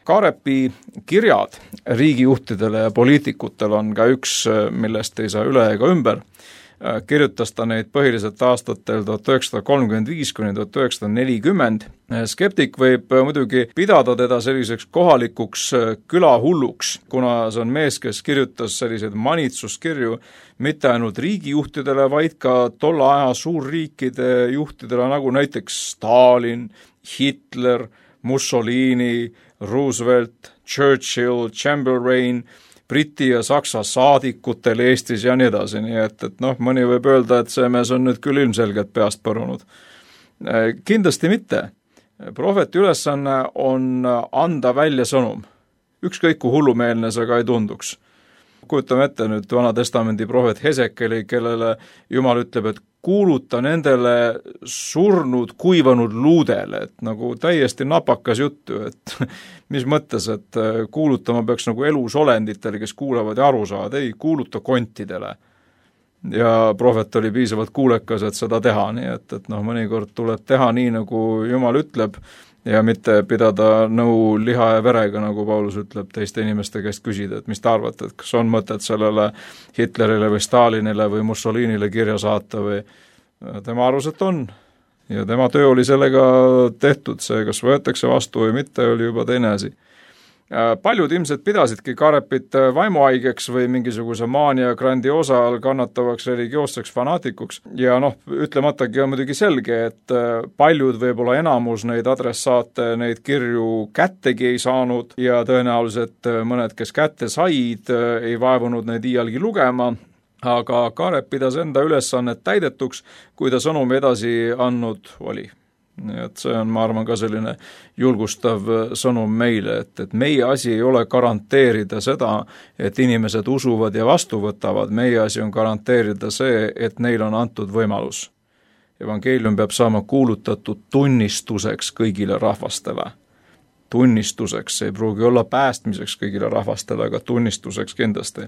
Kaarepi kirjad riigijuhtidele ja poliitikutele on ka üks, millest ei saa üle ega ümber. Kirjutas ta neid põhiliselt aastatel tuhat üheksasada kolmkümmend viis kuni tuhat üheksasada nelikümmend. Skeptik võib muidugi pidada teda selliseks kohalikuks külahulluks, kuna see on mees, kes kirjutas selliseid manitsuskirju mitte ainult riigijuhtidele, vaid ka tolle aja suurriikide juhtidele, nagu näiteks Stalin, Hitler, Mussolini, Roosevelt, Churchill, Chamberlain, Briti ja Saksa saadikutel Eestis ja nii edasi, nii et, et noh, mõni võib öelda, et see mees on nüüd küll ilmselgelt peast põrunud. Kindlasti mitte. Prohveti ülesanne on anda välja sõnum. Ükskõik kui hullumeelne see ka ei tunduks. Kujutame ette nüüd Vana Testamendi prohvet Hesekeli, kellele Jumal ütleb, et kuuluta nendele surnud, kuivanud luudele, et nagu täiesti napakas juttu, et mis mõttes, et kuulutama peaks nagu elusolenditele, kes kuulavad ja aru saavad, ei, kuuluta kontidele. Ja prohvet oli piisavalt kuulekas, et seda teha, nii et, et noh, mõnikord tuleb teha nii, nagu Jumal ütleb, ja mitte pidada nõu liha ja verega, nagu Paulus ütleb, teiste inimeste käest küsida, et mis te arvate, et kas on mõtet sellele Hitlerile või Stalinile või Mussolinile kirja saata või tema arvas, et on. Ja tema töö oli sellega tehtud, see kas võetakse vastu või mitte, oli juba teine asi. Paljud ilmselt pidasidki Karepit vaimuhaigeks või mingisuguse maania grandiosa all kannatavaks religioosseks fanaatikuks ja noh, ütlematagi on muidugi selge, et paljud võib-olla enamus neid adressaate, neid kirju kättegi ei saanud ja tõenäoliselt mõned, kes kätte said, ei vaevunud neid iialgi lugema, aga Karep pidas enda ülesannet täidetuks, kui ta sõnumi edasi andnud oli. Nii et see on, ma arvan, ka selline julgustav sõnum meile, et, et meie asi ei ole garanteerida seda, et inimesed usuvad ja vastu võtavad, meie asi on garanteerida see, et neil on antud võimalus. Evangeelium peab saama kuulutatud tunnistuseks kõigile rahvastele. Tunnistuseks, see ei pruugi olla päästmiseks kõigile rahvastele, aga tunnistuseks kindlasti.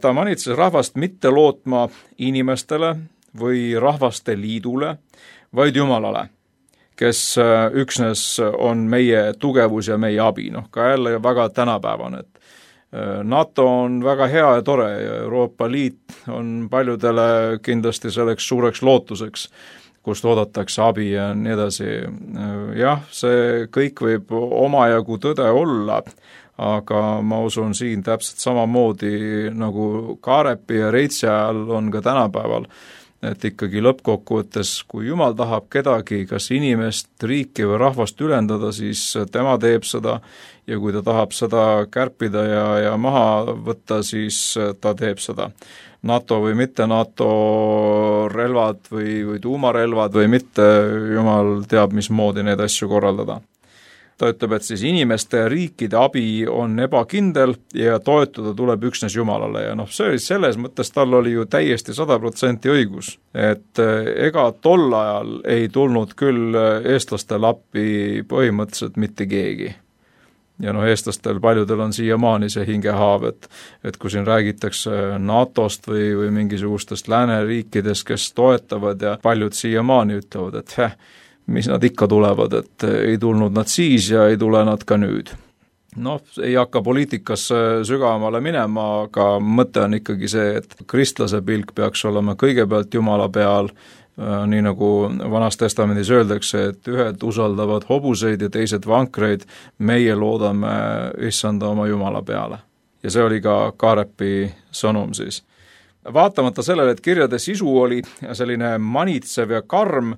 Ta manitses rahvast mitte lootma inimestele või rahvaste liidule, vaid Jumalale, kes üksnes on meie tugevus ja meie abi. Noh, ka jälle väga tänapäevane, et NATO on väga hea ja tore ja Euroopa Liit on paljudele kindlasti selleks suureks lootuseks, kust oodatakse abi ja nii edasi. Jah, see kõik võib omajagu tõde olla, aga ma usun siin täpselt samamoodi nagu Karepi ja Reitsi ajal on ka tänapäeval, et ikkagi lõppkokkuvõttes, kui Jumal tahab kedagi, kas inimest, riiki või rahvast ülendada, siis tema teeb seda ja kui ta tahab seda kärpida ja, ja maha võtta, siis ta teeb seda. NATO või mitte NATO relvad või, või tuumarelvad või mitte, Jumal teab, mismoodi neid asju korraldada. Ta ütleb, et siis inimeste ja riikide abi on ebakindel ja toetuda tuleb üksnes Jumalale ja noh, see oli selles mõttes, tal oli ju täiesti sada protsenti õigus, et ega tol ajal ei tulnud küll eestlastel appi põhimõtteliselt mitte keegi. Ja noh, eestlastel paljudel on siiamaani see hingehaav, et, et kui siin räägitakse NATOst või, või mingisugustest lääneriikidest, kes toetavad ja paljud siiamaani ütlevad, et heh, mis nad ikka tulevad, et ei tulnud nad siis ja ei tule nad ka nüüd. Noh, ei hakka poliitikasse sügavamale minema, aga mõte on ikkagi see, et kristlase pilk peaks olema kõigepealt Jumala peal, nii nagu Vanas Testamendis öeldakse, et ühed usaldavad hobuseid ja teised vankreid, meie loodame issanda oma Jumala peale. Ja see oli ka Karepi sõnum siis. Vaatamata sellele, et kirjade sisu oli selline manitsev ja karm,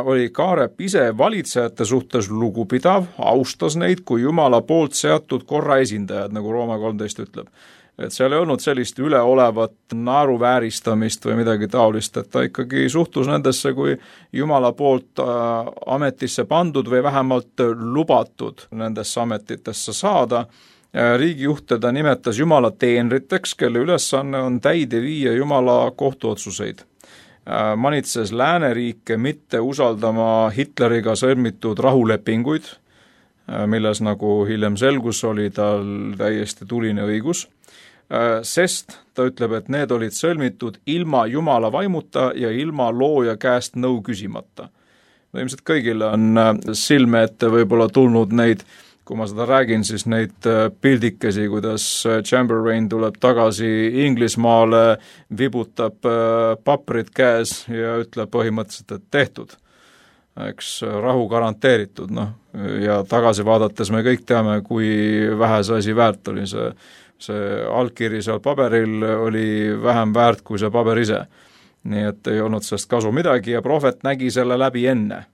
oli Karep ise valitsejate suhtes lugupidav, austas neid kui Jumala poolt seatud korra esindajad, nagu Rooma kolmteist ütleb. Et seal ei olnud sellist üleolevat naeruvääristamist või midagi taolist, et ta ikkagi suhtus nendesse kui Jumala poolt ametisse pandud või vähemalt lubatud nendesse ametitesse saada. Riigijuhte ta nimetas Jumala teenriteks, kelle ülesanne on täide viia Jumala kohtuotsuseid. Manitses lääneriike mitte usaldama Hitleriga sõlmitud rahulepinguid, milles nagu hiljem selgus oli tal täiesti tuline õigus, sest ta ütleb, et need olid sõlmitud ilma Jumala vaimuta ja ilma looja käest nõu küsimata. No ilmselt kõigile on silme ette võib-olla tulnud neid, kui ma seda räägin, siis neid pildikesi, kuidas Chamberlain tuleb tagasi Inglismaale, vibutab paprid käes ja ütleb põhimõtteliselt, et tehtud. Eks rahu garanteeritud, noh, ja tagasi vaadates me kõik teame, kui vähe see asi väärt oli. See, see allkiri seal paberil oli vähem väärt kui see paber ise. Nii et ei olnud sellest kasu midagi ja prohvet nägi selle läbi enne.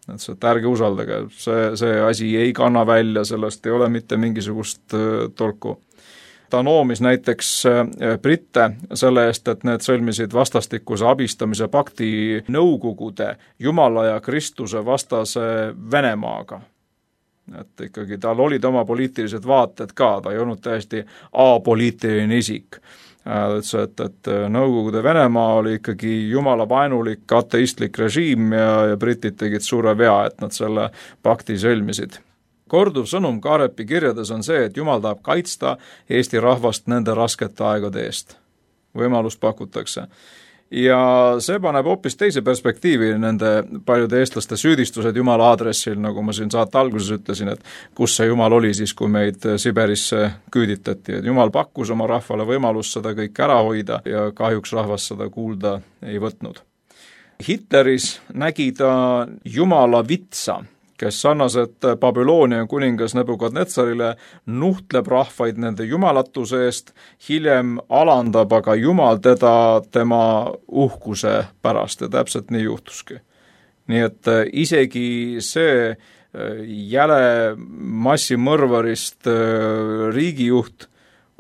Et see, et ärge usaldage, see, see asi ei kanna välja, sellest ei ole mitte mingisugust tolku. Ta noomis näiteks britte selle eest, et need sõlmisid vastastikuse abistamise pakti Nõukogude Jumala ja Kristuse vastase Venemaaga. Et ikkagi tal olid oma poliitilised vaated ka, ta ei olnud täiesti apoliitiline isik. Et, et, et Nõukogude Venemaa oli ikkagi Jumala vaenulik ateistlik režiim ja, ja britid tegid suure vea, et nad selle pakti sõlmisid. Korduv sõnum Karepi kirjades on see, et Jumal tahab kaitsta Eesti rahvast nende raskete aegade eest. Võimalust pakutakse. ja see paneb hoopis teise perspektiivi nende paljude eestlaste süüdistused Jumala aadressil, nagu ma siin saate alguses ütlesin, et kus see Jumal oli siis, kui meid Siberisse küüditati, et Jumal pakkus oma rahvale võimalust seda kõik ära hoida ja kahjuks rahvas seda kuulda ei võtnud. Hitleris nägi ta Jumala vitsa, kes sarnaselt Babyloonia kuningas Nebukadnetsarile nuhtleb rahvaid nende jumalatuse eest, hiljem alandab aga Jumal teda tema uhkuse pärast ja täpselt nii juhtuski. Nii et isegi see jäle massimõrvarist riigijuht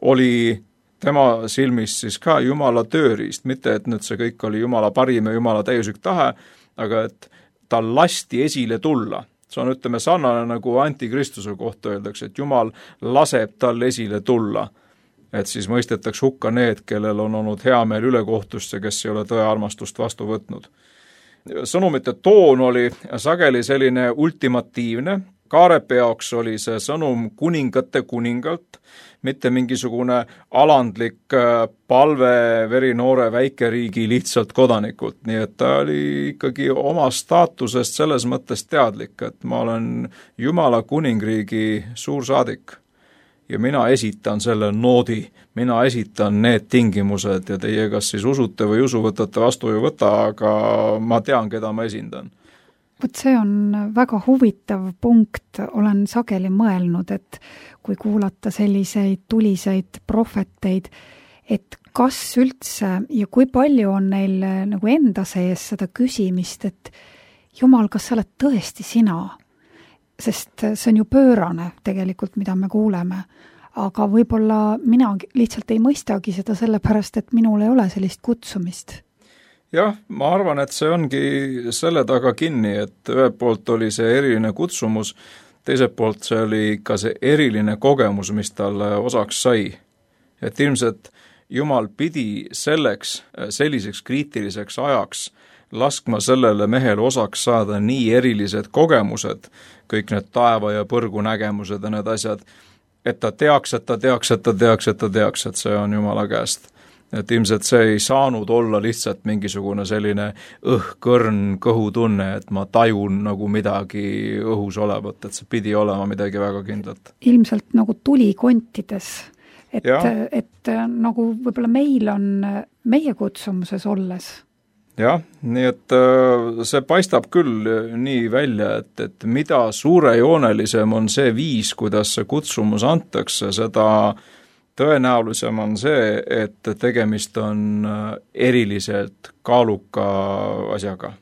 oli tema silmis siis ka Jumala tööriist, mitte et nüüd see kõik oli Jumala parim ja Jumala täiuslik tahe, aga et tal lasti esile tulla. See on, ütleme, sarnane nagu antikristuse kohta öeldakse, et Jumal laseb tal esile tulla, et siis mõistetaks hukka need, kellel on olnud hea meel ülekohtust ja kes ei ole tõe armastust vastu võtnud. Sõnumite toon oli sageli selline ultimatiivne, Kaarepi jaoks oli see sõnum kuningate kuningalt, mitte mingisugune alandlik palve verinoore väikeriigi lihtsalt kodanikult, nii et ta oli ikkagi oma staatusest selles mõttes teadlik, et ma olen Jumala kuningriigi suursaadik ja mina esitan selle noodi, mina esitan need tingimused ja teie kas siis usute või usu võtate vastu või võta, aga ma tean, keda ma esindan. Vot see on väga huvitav punkt, olen sageli mõelnud, et kui kuulata selliseid tuliseid prohveteid, et kas üldse ja kui palju on neil nagu enda sees seda küsimist, et Jumal, kas sa oled tõesti sina? Sest see on ju pöörane tegelikult, mida me kuuleme, aga võib-olla mina lihtsalt ei mõistagi seda sellepärast, et minul ei ole sellist kutsumist. Jah, ma arvan, et see ongi selle taga kinni, et ühelt poolt oli see eriline kutsumus, teiselt poolt see oli ka see eriline kogemus, mis talle osaks sai. Et ilmselt Jumal pidi selleks, selliseks kriitiliseks ajaks laskma sellele mehele osaks saada nii erilised kogemused, kõik need taeva ja põrgu nägemused ja need asjad, et ta teaks, et ta teaks, et ta teaks, et ta teaks, et see on Jumala käest. Et ilmselt see ei saanud olla lihtsalt mingisugune selline õhkõrn kõhutunne, et ma tajun nagu midagi õhus olevat, et see pidi olema midagi väga kindlat. Ilmselt nagu tuli kontides, et, et nagu võib-olla meil on meie kutsumuses olles. Jah, nii et see paistab küll nii välja, et, et mida suurejoonelisem on see viis, kuidas see kutsumus antakse, seda tõenäolisem on see, et tegemist on eriliselt kaaluka asjaga.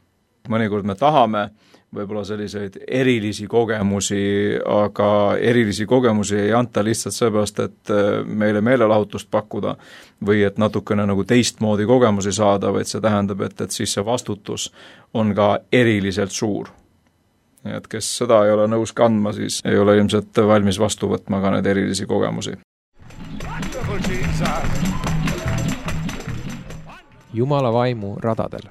Mõnikord me tahame võib-olla selliseid erilisi kogemusi, aga erilisi kogemusi ei anta lihtsalt seepärast, et meile meelelahutust pakkuda või et natukene nagu teistmoodi kogemusi saada, vaid see tähendab, et, et siis see vastutus on ka eriliselt suur. Nii et kes seda ei ole nõus kandma, siis ei ole ilmselt valmis vastu võtma ka need erilisi kogemusi. Jumala vaimu radadel.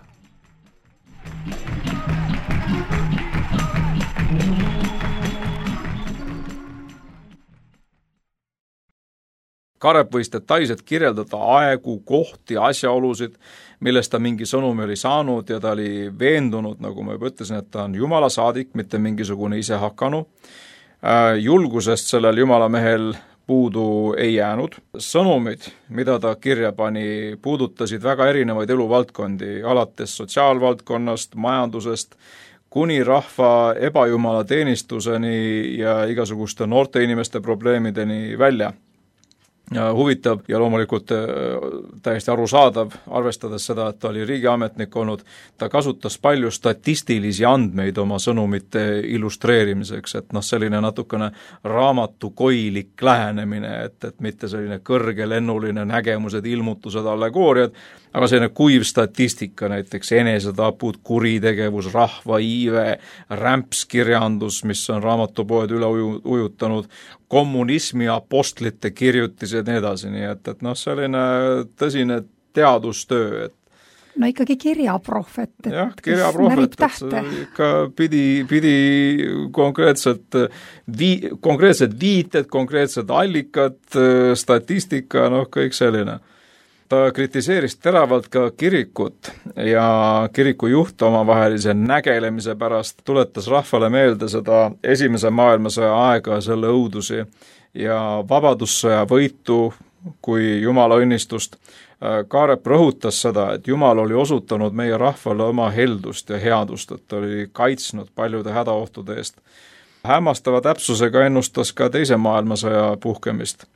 Karep võis detailselt kirjeldada aegu, kohti, asjaolusid, millest ta mingi sõnumi oli saanud ja ta oli veendunud, nagu ma juba ütlesin, et ta on Jumala saadik, mitte mingisugune ise hakanu. Julgusest sellel Jumala mehel puudu ei jäänud. Sõnumid, mida ta kirja pani, puudutasid väga erinevaid eluvaldkondi, alates sotsiaalvaldkonnast, majandusest, kuni rahva ebajumala teenistuseni ja igasuguste noorte inimeste probleemideni välja. Ja huvitav ja loomulikult täiesti arusaadav, arvestades seda, et ta oli riigiametnik olnud, ta kasutas palju statistilisi andmeid oma sõnumite illustreerimiseks, et noh, selline natukene raamatukoilik lähenemine, et, et mitte selline kõrgelennuline nägemused, ilmutused, allegooriad, aga selline kuiv statistika, näiteks enesetapud, kuritegevus, rahva iive, rämpskirjandus, mis on raamatupoed üle uju, ujutanud, kommunismi apostlite kirjutised ja nii edasi, nii et, et noh, selline tõsine teadustöö, et no ikkagi kirjaprohvet, et jah, kirjaprohvet, et ikka pidi, pidi konkreetselt, vii, konkreetsed viited, konkreetsed allikad, statistika, noh, kõik selline. ta kritiseeris teravalt ka kirikut ja kiriku juht omavahelise nägelemise pärast, tuletas rahvale meelde seda esimese maailmasõja aega, selle õudusi ja vabadussõja võitu kui Jumala õnnistust. Kaarep rõhutas seda, et Jumal oli osutanud meie rahvale oma heldust ja headust, et ta oli kaitsnud paljude hädaohtude eest. Hämmastava täpsusega ennustas ka teise maailmasõja puhkemist.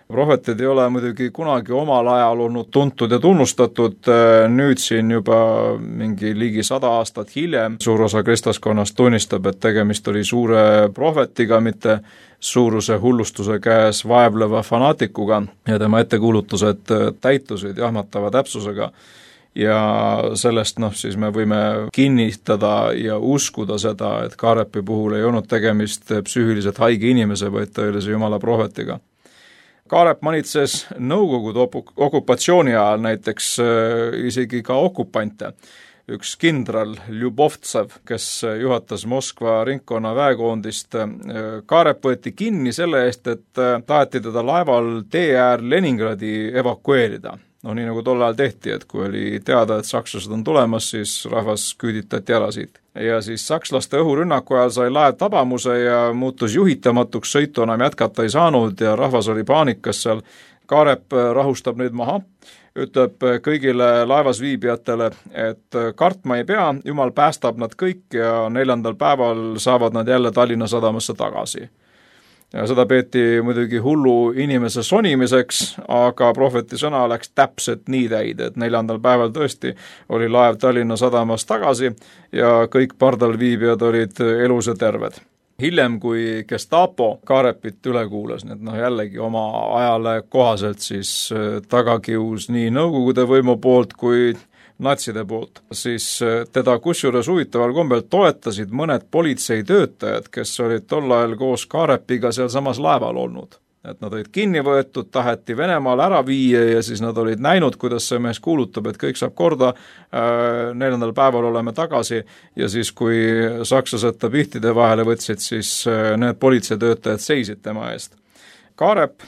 Prohvetid ei ole muidugi kunagi omal ajal olnud tuntud ja tunnustatud, nüüd siin juba mingi ligi sada aastat hiljem suur osa kristlaskonnast tunnistab, et tegemist oli suure prohvetiga, mitte suuruse hullustuse käes vaevleva fanaatikuga ja tema ettekuulutused täitusid jahmatava täpsusega. Ja sellest noh, siis me võime kinnitada ja uskuda seda, et Kaarepi puhul ei olnud tegemist psüühiliselt haige inimese, vaid tõelise Jumala prohvetiga. Kaarep manitses Nõukogude okupatsiooni ajal näiteks isegi ka okupante. Üks kindral Ljubovtsev, kes juhatas Moskva ringkonna väekoondist. Kaarep võeti kinni selle eest, et taheti teda laeval tee äär Leningradi evakueerida. No nii nagu tol ajal tehti, et kui oli teada, et sakslased on tulemas, siis rahvas küüditati ära siit. Ja siis sakslaste õhurünnaku ajal sai laev tabamuse ja muutus juhitamatuks, sõitu enam jätkata ei saanud ja rahvas oli paanikas seal. Kaarep rahustab neid maha, ütleb kõigile laevas viibijatele, et kartma ei pea, Jumal päästab nad kõik ja neljandal päeval saavad nad jälle Tallinna sadamasse tagasi. Ja seda peeti muidugi hullu inimese sonimiseks, aga prohveti sõna läks täpselt nii täide, et neljandal päeval tõesti oli laev Tallinna sadamas tagasi ja kõik pardal viibijad olid elus ja terved. Hiljem, kui Gestapo Kaarepit üle kuulas, nii et noh jällegi oma ajale kohaselt siis tagakius nii Nõukogude võimu poolt kui natside poolt, siis teda kusjuures huvitaval kombel toetasid mõned politseitöötajad, kes olid tol ajal koos Kaarepiga seal samas laeval olnud. Et nad olid kinni võetud, taheti Venemaal ära viia ja siis nad olid näinud, kuidas see mees kuulutab, et kõik saab korda, neljandal päeval oleme tagasi ja siis kui sakslased ta pihtide vahele võtsid, siis need politseitöötajad seisid tema eest. Kaarep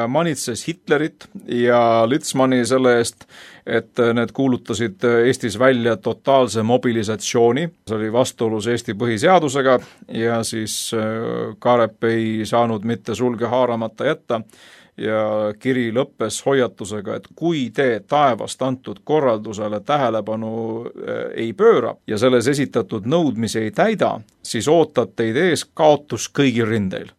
manitses Hitlerit ja Litzmanni selle eest, et need kuulutasid Eestis välja totaalse mobilisatsiooni. See oli vastuolus Eesti põhiseadusega ja siis Kaarep ei saanud mitte sulge haaramata jätta ja kiri lõppes hoiatusega, et kui te taevast antud korraldusele tähelepanu ei pööra ja selles esitatud nõudmisi ei täida, siis ootab teid ees kaotus kõigil rindeil.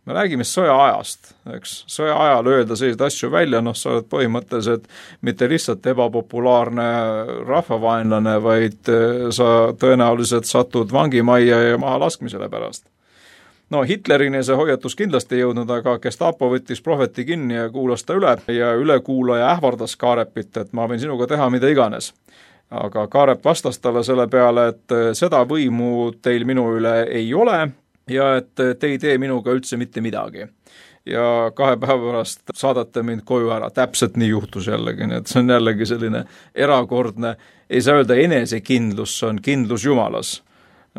Me räägime sõja ajast, eks, sõja ajal öelda selliseid asju välja, noh, sa oled põhimõtteliselt mitte lihtsalt ebapopulaarne rahvavaenlane, vaid sa tõenäoliselt satud vangimajja ja maha laskmisele pärast. No Hitlerini see hoiatus kindlasti ei jõudnud, aga Gestapo võttis prohveti kinni ja kuulas ta üle ja ülekuulaja ähvardas Kaarepit, et ma võin sinuga teha mida iganes. Aga Kaarep vastas talle selle peale, et seda võimu teil minu üle ei ole, ja et te ei tee minuga üldse mitte midagi. Ja kahe päeva pärast saadate mind koju ära, täpselt nii juhtus jällegi, nii et see on jällegi selline erakordne, ei saa öelda enesekindlus, see on kindlus Jumalas.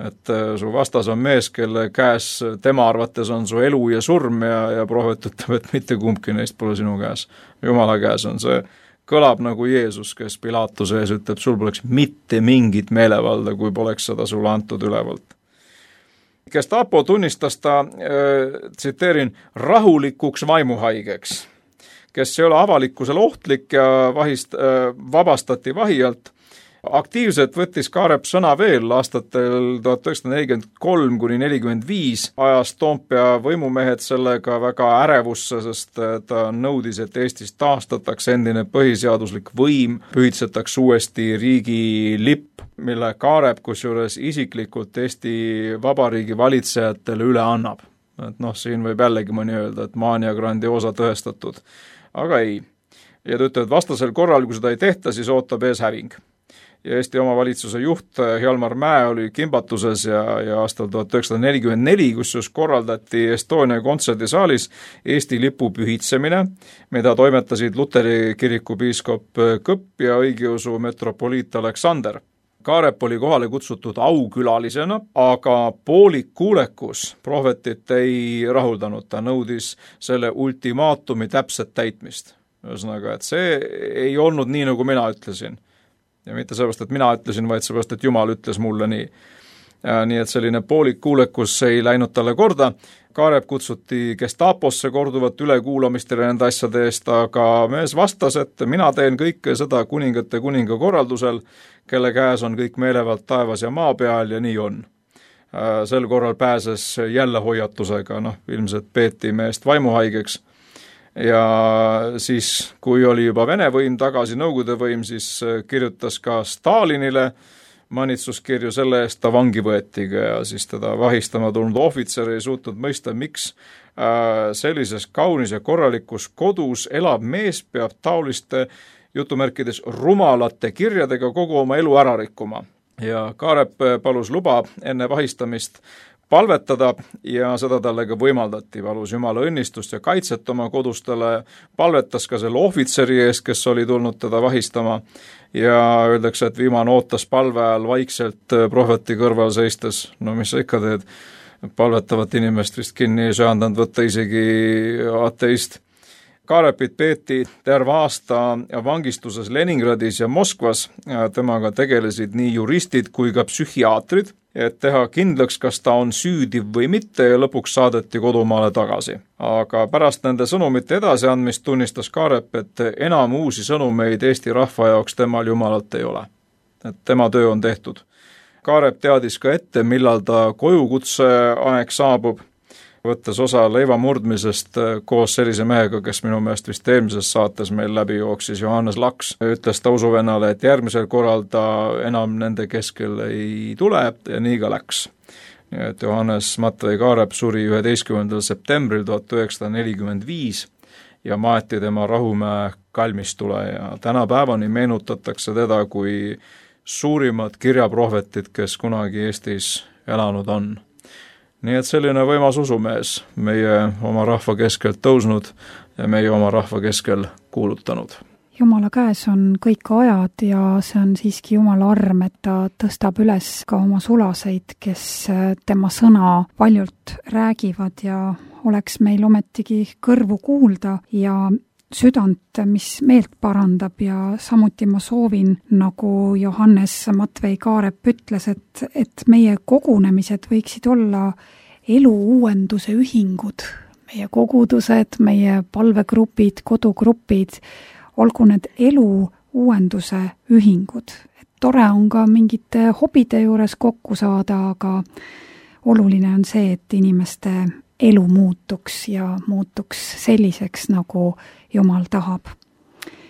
Et su vastas on mees, kelle käes tema arvates on su elu ja surm ja, ja prohvet ütleb, et mitte kumbki neist pole sinu käes. Jumala käes on see, kõlab nagu Jeesus, kes Pilatuse ees ütleb, sul poleks mitte mingit meelevalda, kui poleks seda sulle antud ülevalt. Gestapo tunnistas ta, äh, tsiteerin, rahulikuks vaimuhaigeks, kes ei ole avalikkusele ohtlik ja vahist, äh, vabastati vahi alt. Aktiivselt võttis Kaarep sõna veel aastatel tuhat üheksasada nelikümmend kolm kuni nelikümmend viis, ajas Toompea võimumehed sellega väga ärevusse, sest ta nõudis, et Eestis taastatakse endine põhiseaduslik võim, pühitsetakse uuesti riigi lipp, mille Kaarep kusjuures isiklikult Eesti Vabariigi valitsejatele üle annab. Et noh, siin võib jällegi mõni öelda, et maania grandiosa tõestatud, aga ei. Ja ta ütleb, et vastasel korral, kui seda ei tehta, siis ootab ees häving. Ja Eesti omavalitsuse juht Hjalmar Mäe oli kimbatuses ja, ja aastal tuhat üheksasada nelikümmend neli, kus just korraldati Estonia kontserdisaalis Eesti lipu pühitsemine, mida toimetasid Luteri kiriku piiskop Kõpp ja õigeusu metropoliit Aleksander. Kaarep oli kohale kutsutud aukülalisena, aga poolik kuulekus prohvetit ei rahuldanud, ta nõudis selle ultimaatumi täpset täitmist. Ühesõnaga, et see ei olnud nii, nagu mina ütlesin. Ja mitte sellepärast, et mina ütlesin, vaid sellepärast, et Jumal ütles mulle nii. Nii et selline poolik kuulekus ei läinud talle korda. Kaarep kutsuti Gestaposse korduvat ülekuulamistele nende asjade eest, aga mees vastas, et mina teen kõike seda kuningate kuninga korraldusel, kelle käes on kõik meelevalt taevas ja maa peal ja nii on. Sel korral pääses jälle hoiatusega, noh, ilmselt peeti meest vaimuhaigeks. Ja siis, kui oli juba Vene võim tagasi, Nõukogude võim, siis kirjutas ka Stalinile manitsuskirju selle eest, ta vangi võetiga ja siis teda vahistama tulnud ohvitser ei suutnud mõista, miks sellises kaunis ja korralikus kodus elab mees peab taoliste jutumärkides rumalate kirjadega kogu oma elu ära rikkuma. Ja Kaarep palus luba enne vahistamist palvetada ja seda talle ka võimaldati, palus Jumala õnnistust ja kaitset oma kodustele, palvetas ka selle ohvitseri ees, kes oli tulnud teda vahistama ja öeldakse, et viimane ootas palve ajal vaikselt prohveti kõrval seistes, no mis sa ikka teed, palvetavat inimest vist kinni ei söandanud võtta isegi ateist. Kaarepit peeti terve aasta vangistuses Leningradis ja Moskvas, temaga tegelesid nii juristid kui ka psühhiaatrid, et teha kindlaks, kas ta on süüdi või mitte ja lõpuks saadeti kodumaale tagasi. Aga pärast nende sõnumite edasiandmist tunnistas Kaarep, et enam uusi sõnumeid Eesti rahva jaoks temal Jumalalt ei ole. Et tema töö on tehtud. Kaarep teadis ka ette, millal ta kojukutse aeg saabub, võttes osa leiva murdmisest koos sellise mehega, kes minu meelest vist eelmises saates meil läbi jooksis, Johannes Laks, ütles ta usuvennale, et järgmisel korral ta enam nende keskel ei tule ja nii ka läks. Nii et Johannes Matvei Kaarep suri üheteistkümnendal septembril tuhat üheksasada nelikümmend viis ja maeti tema Rahumäe kalmistule ja tänapäevani meenutatakse teda kui suurimat kirjaprohvetit, kes kunagi Eestis elanud on. Nii et selline võimas usumees meie oma rahva keskelt tõusnud ja meie oma rahva keskel kuulutanud. Jumala käes on kõik ajad ja see on siiski Jumala arm, et ta tõstab üles ka oma sulaseid, kes tema sõna paljult räägivad ja oleks meil ometigi kõrvu kuulda ja südant, mis meelt parandab ja samuti ma soovin, nagu Johannes Matvei Kaarep ütles, et, et meie kogunemised võiksid olla elu uuenduse ühingud, meie kogudused, meie palvegrupid, kodugrupid, olgu need elu uuenduse ühingud. Et tore on ka mingite hobide juures kokku saada, aga oluline on see, et inimeste elu muutuks ja muutuks selliseks, nagu Jumal tahab.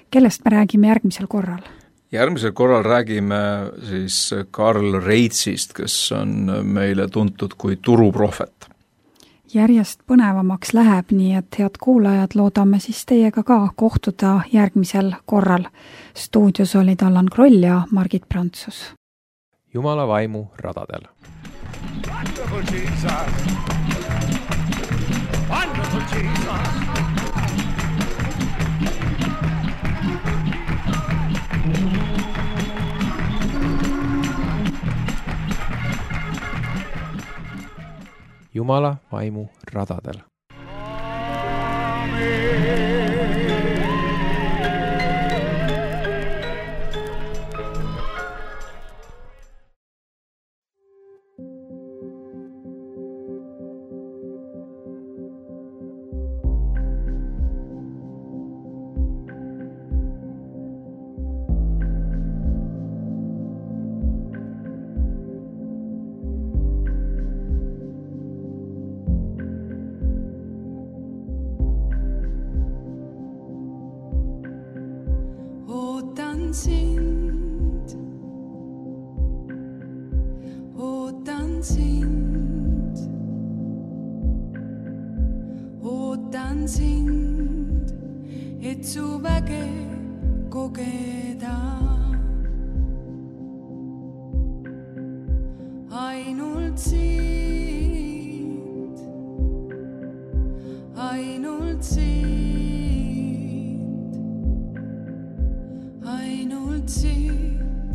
Kellest me räägime järgmisel korral? Järgmisel korral räägime siis Karl Reitsist, kes on meile tuntud kui turuprohvet. Järjest põnevamaks läheb, nii et head kuulajad, loodame siis teiega ka kohtuda järgmisel korral. Stuudios olid Allan Kroll ja Margit Prantsus. Jumala vaimu radadel. Wonderful Jesus. Wonderful Jesus. Jumala vaimu radadel. Sind, ootan sind, ootan sind, et su väge kogeda. Ainult sind, ainult sind. Siit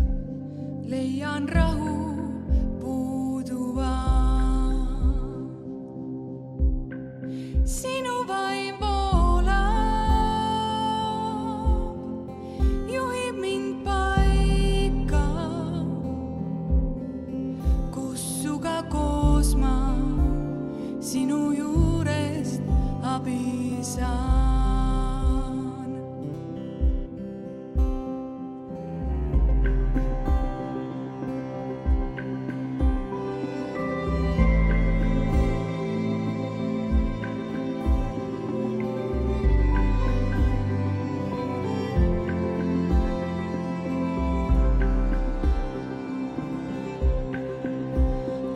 leian rahu puuduva. Sinu vaim voolab koos ma sinu juurest abi saan.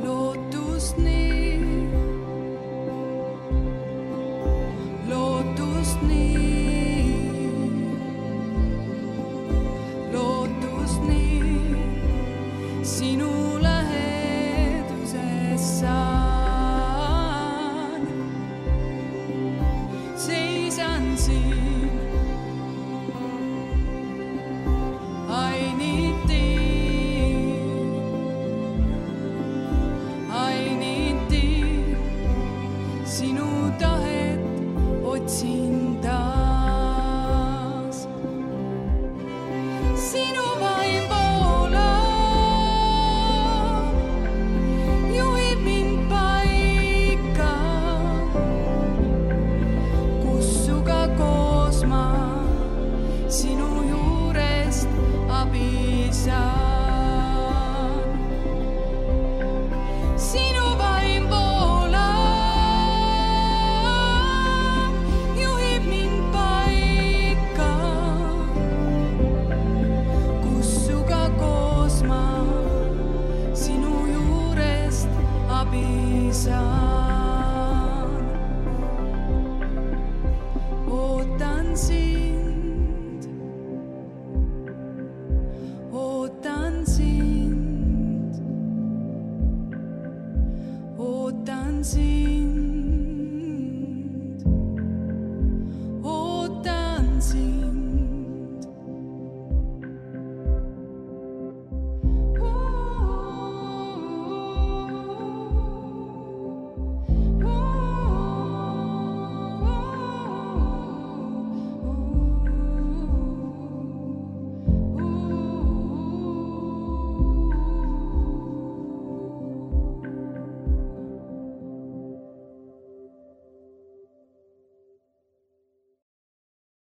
Lootust nii, lootust nii, lootust nii, sinu läheduses saan. Seisan siin, ainiti, ainiti, sinu tahet otsin taas. Sinu vaim voolab, juhib mind paika, kus suga koos ma sinu juurest abi saan. Sinu vaim voolab, juhib mind paika, kus suga koos ma sinu juurest abi saan. Ootan sind, ootan sind, ootan sind.